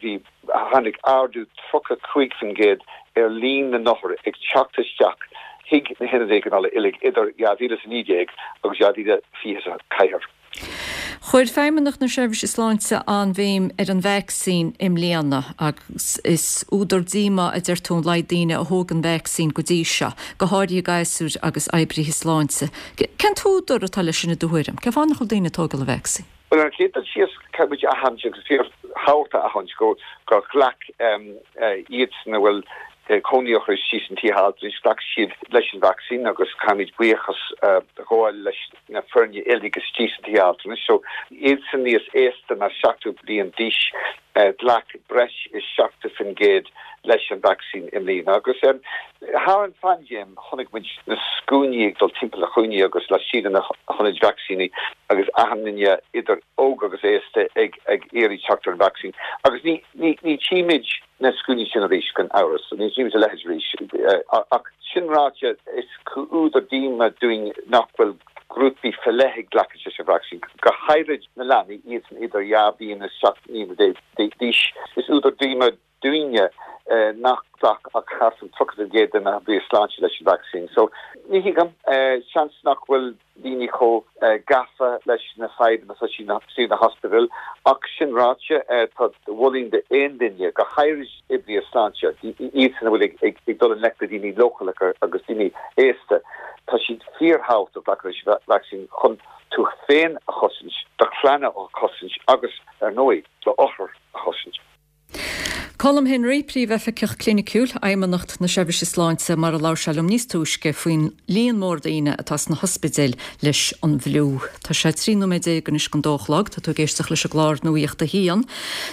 bhí, tháinig ardú tríocha cúig faoin gcéad ar líon na n-othar ag teacht isteach chuig na hionaid éigeandála uilig idir dhá mhíle is a naoi déag agus dhá mhíle fiche a ceathair. Chuir Feidhmeannacht na Seirbhíse Sláinte an-bhéim ar an vacsaín i mbliana agus is údar díomá a deir tú an laghad daoine a thóg an vacsaín go dtí seo, go háirithe gasúir agus oibrithe sláinte. Cén t-údar atá leis sin i do thuairim? Cén fáth nach bhfuil daoine ag tógáil an vacsaín? Bhuel, ar an chéad dul síos, caithfidh muid a aithint agus fíorthábhachtach a aithint go gur ghlac iadsan a bhfuil cónaí orthu istigh sna tithe altranais, ghlac siad leis an vacsaín agus caithfimid buíochas a ghabháil leis na foirne uilig istigh sna tithe altranais. So, iadsan níos aosta ná seachtó bliain d'aois, ghlac breis is seachtó faoin gcéad leis an vacsaín i mbliana. Agus thar an phaindéim, chonaic muid na scuainí ag dul timpeall na chúinní agus laistigh de na hionaid vacsaíní agus achan duine idir óg agus aosta ag ag iarraidh teacht ar an vacsaín. Agus ní ní ní tchímid na scuainí sin arís gan amhras, ní tchímid a leithéid arís. Ach sin ráite, is údar díoma dúinn nach bhfuil grúpaí faoi leith ag glacadh leis an vacsaín, go háirid na leanaí, iadsan idir dhá bhliain is seacht mbliana déag d'aois. Is údar díoma dúinne nach ghlac ach thart ar tríocha faoin gcéad de na hoibrithe sláinte leis an vacsaín. So, ní thuigim, seans nach bhfuil daoine chomh gafa leis na fadhbanna atá istigh sna hospidéil. Ach sin ráite, tá mholfainn d'aon duine, go háirid oibrithe sláinte, iadsan a bhfuil ag dul i ngleic le daoine leochaileacha agus daoine aosta, tá siad fíorthábhachtach glacadh leis an vacsaín chun tú féin a chosaint, do chlann a chosaint agus, ar ndóigh, d'othair a chosaint. Colm Henry, Príomhoifigeach Cliniciúil, Fheidhmeannacht na Seirbhíse Sláinte, mar a labhair sé liom níos túisce faoin líon mór daoine atá sna hospidéil leis an bhfliú. Tá sé trí nóiméad déag anois don dó a chlog, tá tú ag éisteacht leis an gclár Nuacht a hAon.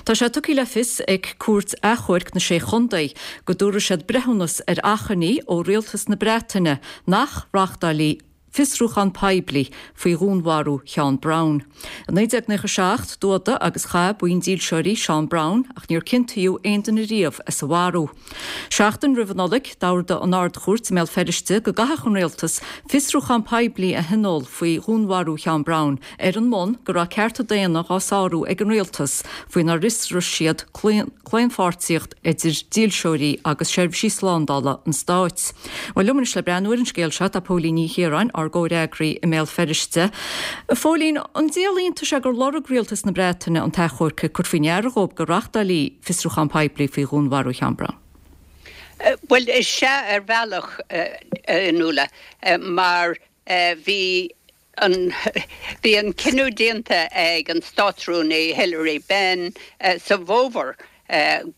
Tá sé tugtha le fios ag Cúirt Achomhairc na Sé Chontae go dtabharfaidh siad breithiúnas ar achainí ó Rialtas na Breataine nach reáchtálfaí fiosrúchán poiblí faoi dhúnmharú Sheán Brown. I naoi déag nócha seacht, d'fhuadaigh agus chaith buíon dílseoirí Seán Brown ach níor ciontaíodh aon duine riamh as a mharú. Seachtain roimh an Nollaig, d'ordaigh an Ard-Chúirt i mBéal Feirste go gcaithfeadh an rialtas fiosrúchán poiblí a thionól faoi dhúnmharú Sheán Brown ar an mbonn go raibh cearta daonna dhá sárú ag an rialtas faoinar fhiosraigh siad claonpháirtíocht idir dílseoirí agus seirbhísí slándála an stáit. Bhuel, liom anois le breathnú ar an scéal seo tá Póilín Ní Chiaráin, ár gcomhfhreagraí i mBéal Feirste. A Phóilín, an díol iontais é gur lorg Rialtas na Breataine an t-achomharc ag cur faoi ndeara dhóibh go reáchtálfaí fiosrúchán poiblí faoi dhúnmharú Sheán Brown? Bhuel, is ea ar bhealach, a Fhionnuala, mar bhí an bhí an cinneadh déanta ag an Státrúnaí Hilary Benn sa bhfómhar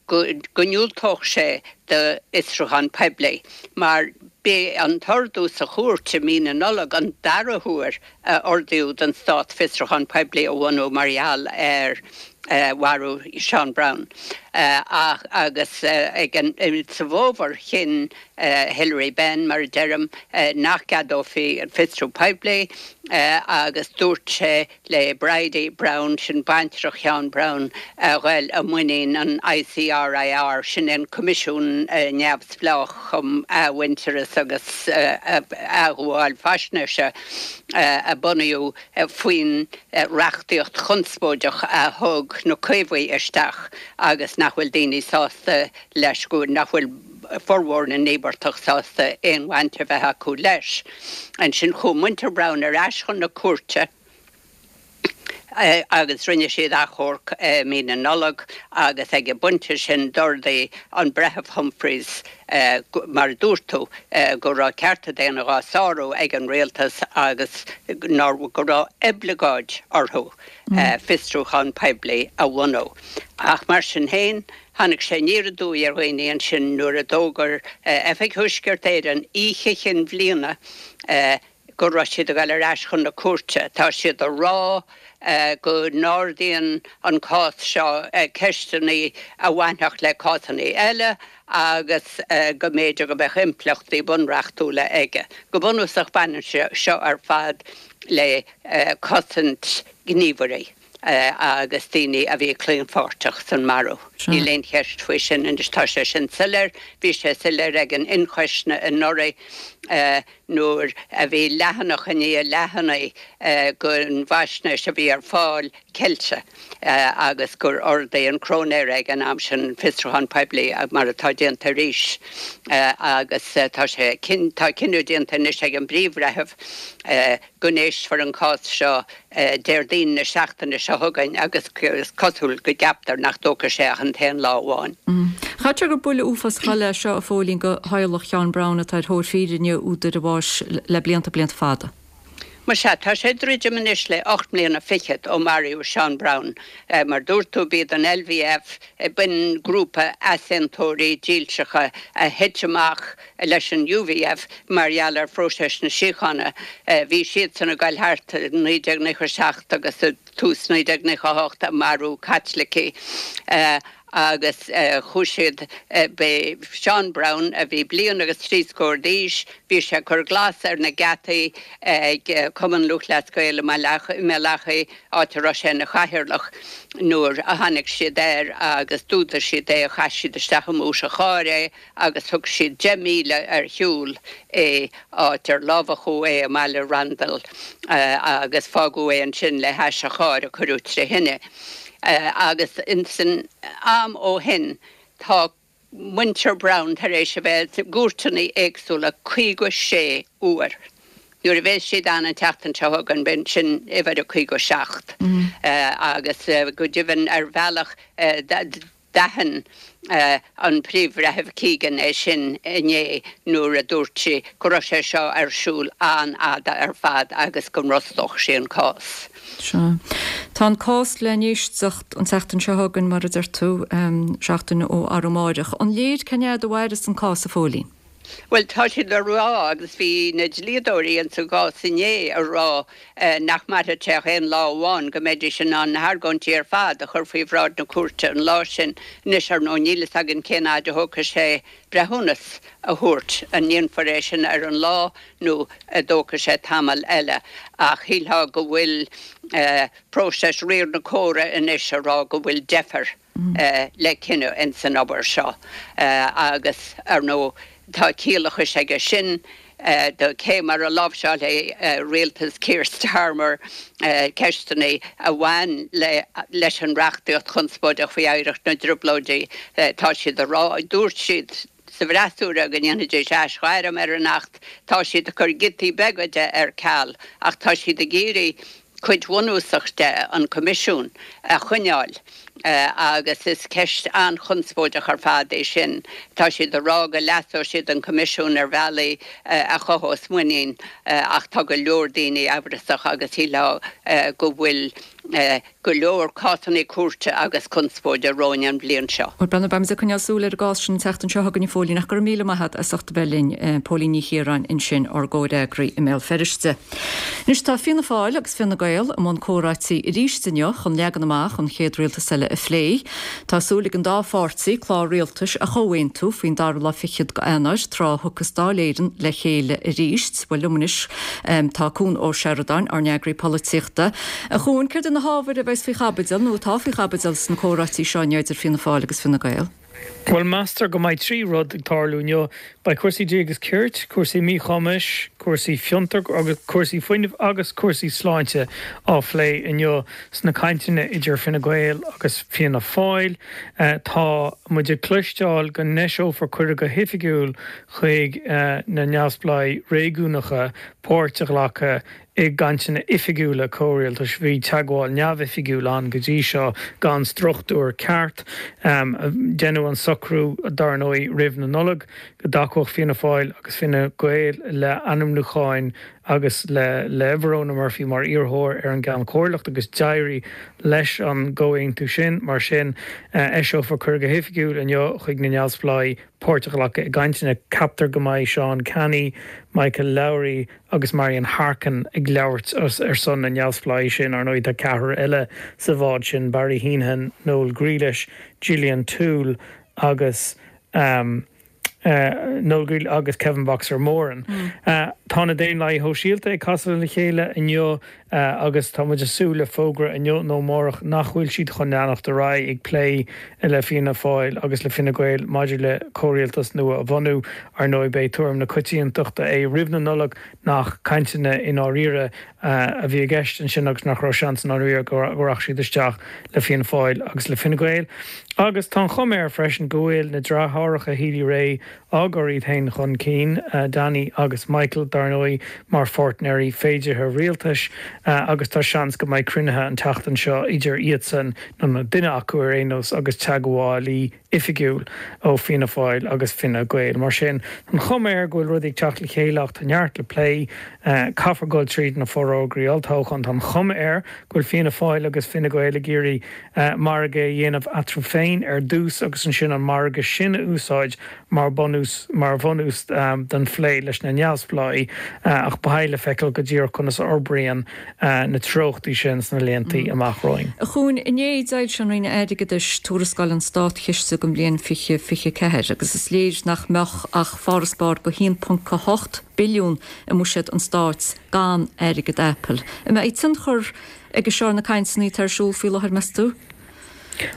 go ndiúltódh sé d'fhiosrúchán poiblí mar b'é an t-ordú sa chúirt i mí na Nollag an dara huair a ordaíodh don Stát fiosrúchán poiblí a bhunú mar gheall ar mharú Seán Brown. Ach agus ag an sa bhfómhar chinn Hilary Benn, mar a deirim, nach gceadófaí an fiosrú poiblí agus dúirt sé le Bridie Browne, sin baintreach Sheáin Brown, a ghoil i muinín an ICRIR, sin é an Coimisiún Neamhspleách um Athmhuintearas agus Athghabháil Faisnéise a bunaíodh faoin reachtaíocht chonspóideach a thug na Caomhaigh isteach agus nach bhfuil daoine sásta leis, go nach bhfuil formhór na n-íobartach sásta aon bhaint a bheith acu leis. Ansin chuaigh muintir Browne ar ais chun na cúirte agus rinne siad achomharc i mí na Nollag agus ag an bpointe sin d'ordaigh an Breitheamh Humphreys, mar a dúirt tú, go raibh cearta daonna dhá sárú ag an rialtas agus go raibh oibleagáid orthu fiosrúchán poiblí a bhunú. Ach mar sin féin, tháinig sé aniar aduaidh ar dhaoine ansin nuair a d'fhógair Oifig Thuaisceart Éireann oíche Chinn Bhliana go raibh siad ag dul ar ais chun na cúirte. Tá siad ag rá go n-ardaíonn an cás seo ceisteanna a bhainfeadh le cásanna eile agus go mb'fhéidir go mbeadh impleachtaí bunreachtúla aige. Go bunúsach baineann sé seo ar fad le cosaint gníomhairí agus daoine a bhí claonpháirteach san marú. Níl aon cheist faoi sin anois, tá sé sin soiléir, bhí sé soiléir ag an ionchoisne anuraidh nuair a bhí leathanach i ndiaidh leathanaigh den bhfaisnéis a bhí ar fáil ceilte agus gur ordaigh an cróinéir ag an am sin fiosrúchán poiblí mar atá déanta arís agus tá sé tá cinneadh déanta anois ag an bPríomh-Bhreitheamh go n-éistfear an cás seo Déardaoin na seachtaine seo chugainn agus is cosúil go gceaptar nach dtógfaidh sé ach an t-aon lá amháin. Caithfidh sé gur buille uafásach eile é seo, a Phóilín, do theaghlach Sheáin Brown atá ar thóir fírinne údar a bháis le blianta, blianta fada. Más ea, tá sé ag druidim anois le ocht mbliana fichead ó maraíodh Seán Brown. Mar dúirt tú, b'iad an LVF, b'in grúpa easaontóirí dílseacha a thit amach leis an UVF mar gheall ar phróiseas na síochána. Bhí siadsan ag goil thart i naoi déag nócha a seacht agus i tús naoi déag nócha a hocht ag marú Caitlicigh. Agus chuaigh siad, b'é Seán Brown, a bhí bliain agus trí scór d'aois, bhí sé ag cur glas ar na geataí ag Cumann Lúthchleas Gael i mBéal Achaidh, áit a raibh sé ina chathaoirleach, nuair a tháinig siad air agus d'fhuadaigh siad é, chaith siad isteach i mbúit an chairr é agus thug siad deich míle ar shiúl é, áit ar lámhachadh é i mbaile Randall agus fágadh é ansin le hais an chairr a cuireadh tré thine. Agus insan am ó shin tá muintir Brown tar éis a bheith i gcúirteanna éagsúla caoga sé uair. Nuair a bheas siad ann an tseachtain seo chugainn, b'in sin uimhir a caoga seacht. Agus go deimhin ar bhealach d'aithin an Príomh-Bhreitheamh Keegan é sin inné nuair a dúirt sí go raibh sé seo ar siúl an-fhada ar fad agus go mbrostódh sí an cás. Sea. Tá an cás le n-éisteacht an tseachtain seo chugainn, mar a deir tú, seachtain ó arú amáireach. An léir cén fhad a mhairfeas an cás, a Phóilín? Bhuel, tá siad a rá, agus bhí na dlíodóirí ins an gcás inné a rá nach mairfeadh sé ach aon lá amháin, go mbeidís in ann na hargóintí ar fad a chur faoi bhráid na cúirte an lá sin. Anois, ar ndóigh, níl fhios againn cén fhaid a thógfaidh sé breithiúnas a thabhairt, an ndéanfar é sin ar an lá nó an dtógfaidh sé tamall eile. Ach shílfeá go bhfuil próiseas riar na córa anois a rá go bhfuil deifir. le cinneadh ins an obair seo agus, ar ndóigh, tá ciallachas aige sin do cé mar a láimhseálfaidh rialtas Keir Starmer ceisteanna a bhain leis an reachtaíocht chonspóideach faoi oidhreacht na dTrioblóidí. Tá siad a rá, dúirt siad sa bhfreasúra go ndéanfaidís aisghairm ar an Acht, tá siad ag cur giotaí beaga de ar ceal ach tá siad ag iarraidh cuid bhunúsach de, an Coimisiún, a choinneáil agus is ceist an-chonspóideach ar fad é sin. Tá siad ag rá go leasóidh siad an Coimisiún ar bhealaí a chothós muinín ach tá go leor daoine amhrasach agus shílfeá go bhfuil go leor cásanna cúirte agus conspóide romhainn an bhliain seo. Bhuel, beimid ag coinneáil súil ar an gcás sin an tseachtain seo chugainn, a Phóilín, ach go raibh míle maith agat as ucht a bheith linn, Póilín Ní Chiaráin ansin, ár gcomhfhreagraí i mBéal Feirste. Anois tá Fianna Fáil agus Fine Gael i mbun comhráití arís inniu chun leagan amach an chéad rialtas eile a phlé. Tá súil ag an dá pháirtí clár rialtais a chomhaontú faoin dara lá fichead go Eanáir, tráth a thiocfas Dáil Éireann le chéile arís. Bhuel, liom anois tá Cuan Ó Seireadáin, ár n-eagraí polaitíochta. A Chuain, céard iad na hábhair a bheas faoi chaibidil nó atá faoi chaibidil sna comhráití seo inniu idir Fianna Fáil agus Fine Gael? Bhuel, meastar go mbeidh trí rud ag tarlú inniu. Beidh cúrsaí dlí agus cirt, cúrsaí míchumais, cúrsaí fiontair agus cúrsaí fuinnimh agus cúrsaí sláinte á phlé inniu sna cainteanna idir Fine Gael agus Fianna Fáil. Tá muid ag cloisteáil go n-eiseofar cuireadh go hoifigiúil chuig na neamhspleáigh réigiúnacha páirt a ghlacadh i gcainteanna oifigiúla comhrialtais. Bhí teagmháil neamhoifigiúil ann go dtí seo gan struchtúr ceart. Deineadh an socrú, dar ndóigh, roimh na Nollag go dtacódh Fianna Fáil agus Fine Gael le ainmniúcháin agus le le Verona Murphy mar iarrthóir ar an gCeann Comhairleacht agus d'éirigh leis an gcomhaontú sin. Mar sin, eiseofar cuireadh go hoifigiúil inniu chuig na neamhspleáigh páirt a ghlacadh i gcainteanna. Ceaptar go mbeidh Seán Canney, Michael Lowry agus Marian Harkin ag labhairt ar son na neamhspleáigh sin. Ar ndóigh, tá ceathrar eile sa bhád sin, Barry Heneghan, Noel Grealish, Gillian Toole agus Noel Grealish agus Kevin Boxer Moran. Tá na Daonlathaithe Shóisialta ag casadh le chéile inniu agus tá muid ag súil le fógra inniu nó amárach nach bhfuil siad chun leanacht ar aghaidh ag plé le Fianna Fáil agus le Fine Gael maidir le comhrialtas nua a bhunú. Ar ndóigh, b'é tuairim na coitiantachta é roimh na Nollag nach cainteanna i ndáiríre a bhí i gceist ansin agus nach raibh seans i ndáiríre go rachadh siad isteach le Fianna Fáil agus le Fine Gael. Agus tá an chuma air freisin go bhfuil na deartháireacha Healy-Rae á gcur iad féin chun cinn, Danny agus Michael, dar ndóigh, mar pháirtnéirí féideartha rialtais agus tá seans go mbeidh cruinnithe an tseachtain seo idir iadsan, nó duine acu ar aon nós, agus teagmhálaí oifigiúil ó Fianna Fáil agus Fine Gael. Mar sin, tá an chuma air go bhfuil rudaí ag teacht le chéile ach tá neart le plé. Caithfear dul tríd na forógraí olltoghcháin. Tá an chuma air go bhfuil Fianna Fáil agus Fine Gael ag iarraidh margadh a dhéanamh eatarthu féin ar dtús agus ansin an margadh sin a úsáid mar bunús mar bhunús don phlé leis na neamhspleáigh ach beidh le feiceáil go díreach conas a fhorbraíonn na treochtaí sin sna laethanta amach romhainn. A Chuain, inné d'fhoilsigh an Roinn Airgeadais tuarascáil an Státchiste don bhliain fiche fiche ceathair agus is léir nach mbeadh ach farasbarr de haon ponc a hocht billiún i mbuiséad an stáit gan airgead Apple. An mbeidh tionchar aige seo ar na cainteanna atá ar siúl faoi láthair, meas tú?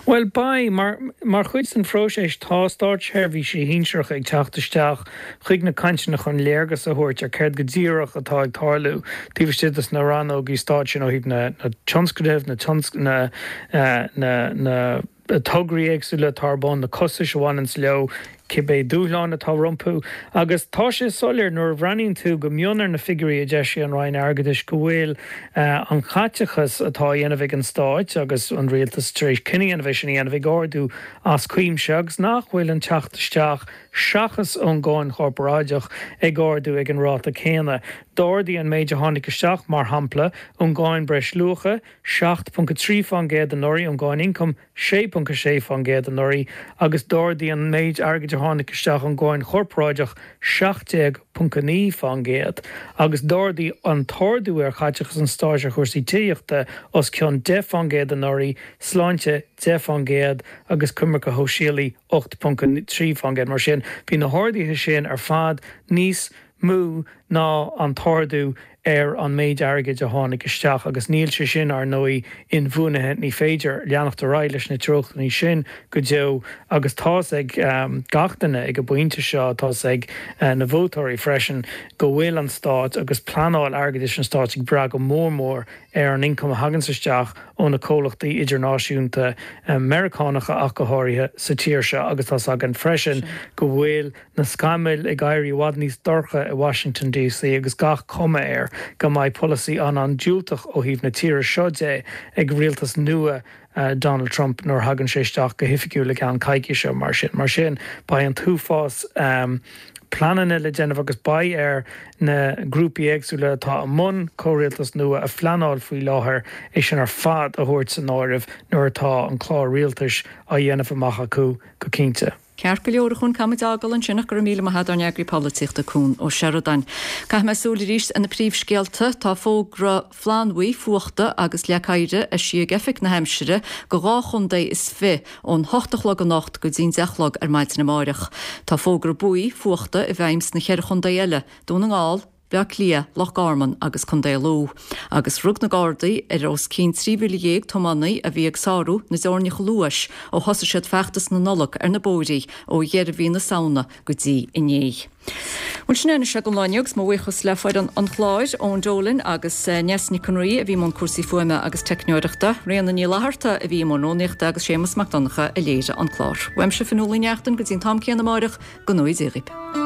Bhuel, beidh. Mar mar chuid den phróiseas tá státseirbhísigh shinsearacha ag teacht isteach chuig na cainteanna chun léargas a thabhairt ar céard go díreach atá ag tarlú taobh istigh de na rannógaí stáit sin ó thaobh na na tionscnaimh, na na na na tograí éagsúla atá ar bun, na costais a bhaineanns leo, cibé dúshláin atá rompu. Agus tá sé soiléir nuair a bhreathnaíonn tú go mion ar na figiúirí a d'eisigh an Roinn Airgeadais go bhfuil an caiteachas atá á dhéanamh ag an Stáit agus an Rialtas tar éis cinneadh a dhéanamh é sin a dhéanamh ag ardú as cuimse agus nach bhfuil an teacht isteach seachas ón gcáin chorparáideach ag ardú ag an ráta céanna. D'ardaigh an méid a tháinig isteach, mar shampla, ón gcáin breisluacha, seacht ponc a trí faoin gcéad anuraidh, ón gcáin ioncaim, sé ponc a sé faoin gcéad anuraidh, agus d'ardaigh an méid airgid a tháinig isteach ón gcáin chorparáideach seacht déag ponc a naoi faoin gcéad, agus d'ardaigh an t-ardú ar chaiteachas an stáit ar chúrsaí tithíochta os cionn deich faoin gcéad anuraidh, sláinte deich faoin gcéad agus coimirce shóisialaí ocht ponc a trí faoin gcéad. Mar sin, bhí na harduithe sin ar fad níos mó ná an t-ardú ar an méid airgid a tháinig isteach agus níl sé sin, ar ndóigh, inbhuanaithe. Ní féidir leanacht ar aghaidh leis na treochtanna sin go deo agus tá's ag gach duine ag an bpointe seo, tá's ag na vótóirí freisin, go bhfuil an Stát agus pleanáil airgeadais an Stáit ag brath go mór mór ar an ioncam a thaganns isteach ó na comhlachtaí idirnáisiúnta, Meiriceánacha ach go háirithe, sa tír seo agus tá's againn freisin go bhfuil na scamaill ag éirí i bhfad níos dorcha i Washington DC agus gach cuma air go mbeidh polasaí an-an-diúltach ó thaobh na tíre seo de ag rialtas nua Donald Trump nuair a thagann sé isteach go hoifigiúil i gceann coicíse mar sin. Mar sin, beidh an t-uafás pleananna le déanamh agus beidh ar na grúpaí éagsúla atá i mbun comhrialtas nua a phleanáil faoi láthair é sin ar fad a thabhairt san áireamh nuair atá an clár rialtais á dhéanamh amach acu go cinnte. Ceart go leor a Chúin, caithfidh muid a fhágáil ansin ach go raibh míle maith agat ár n-eagraí polaitíochta Cún Ó Seireadáin. Caithfidh mé súil arís ar na príomhscéalta. Tá fógra flannbhuí fuachta agus leac oighir eisithe ag Oifig na hAimsire go dhá chontae is fiche ón hocht a chlog anocht go dtí'n deich a chlog ar maidin amáireach. Tá fógra buí fuachta i bhfeidhm sna ceithre chontae eile, Dún na nGall, Baile Átha Cliath, Loch Garman agus Contae Lú. Agus rug na Gardaí ar os cionn trí mhíle dhéag tiománaí a bhí ag sárú na dteorainneacha luais ó thosaigh siad feachtas na Nollag ar na bóithrí ó dheireadh mhí na Samhna go dtí inné. Bhuel sin é anois don lá inniu agus mo bhuíochas le foireann an chláir, Eoin Dolan agus Ness Nic an Rí a bhí i mbun cúrsaí fuaime agus teicneoireachta, Ríona Ní Fhlatharta a bhí i mbun rúnaíochta agus Séamus Mac Donncha a léirigh an clár. Uaimse Fionnuala Ní Neachtain go dtí an t-am céanna amáireach, go ngnóthaí Dia dhaoibh.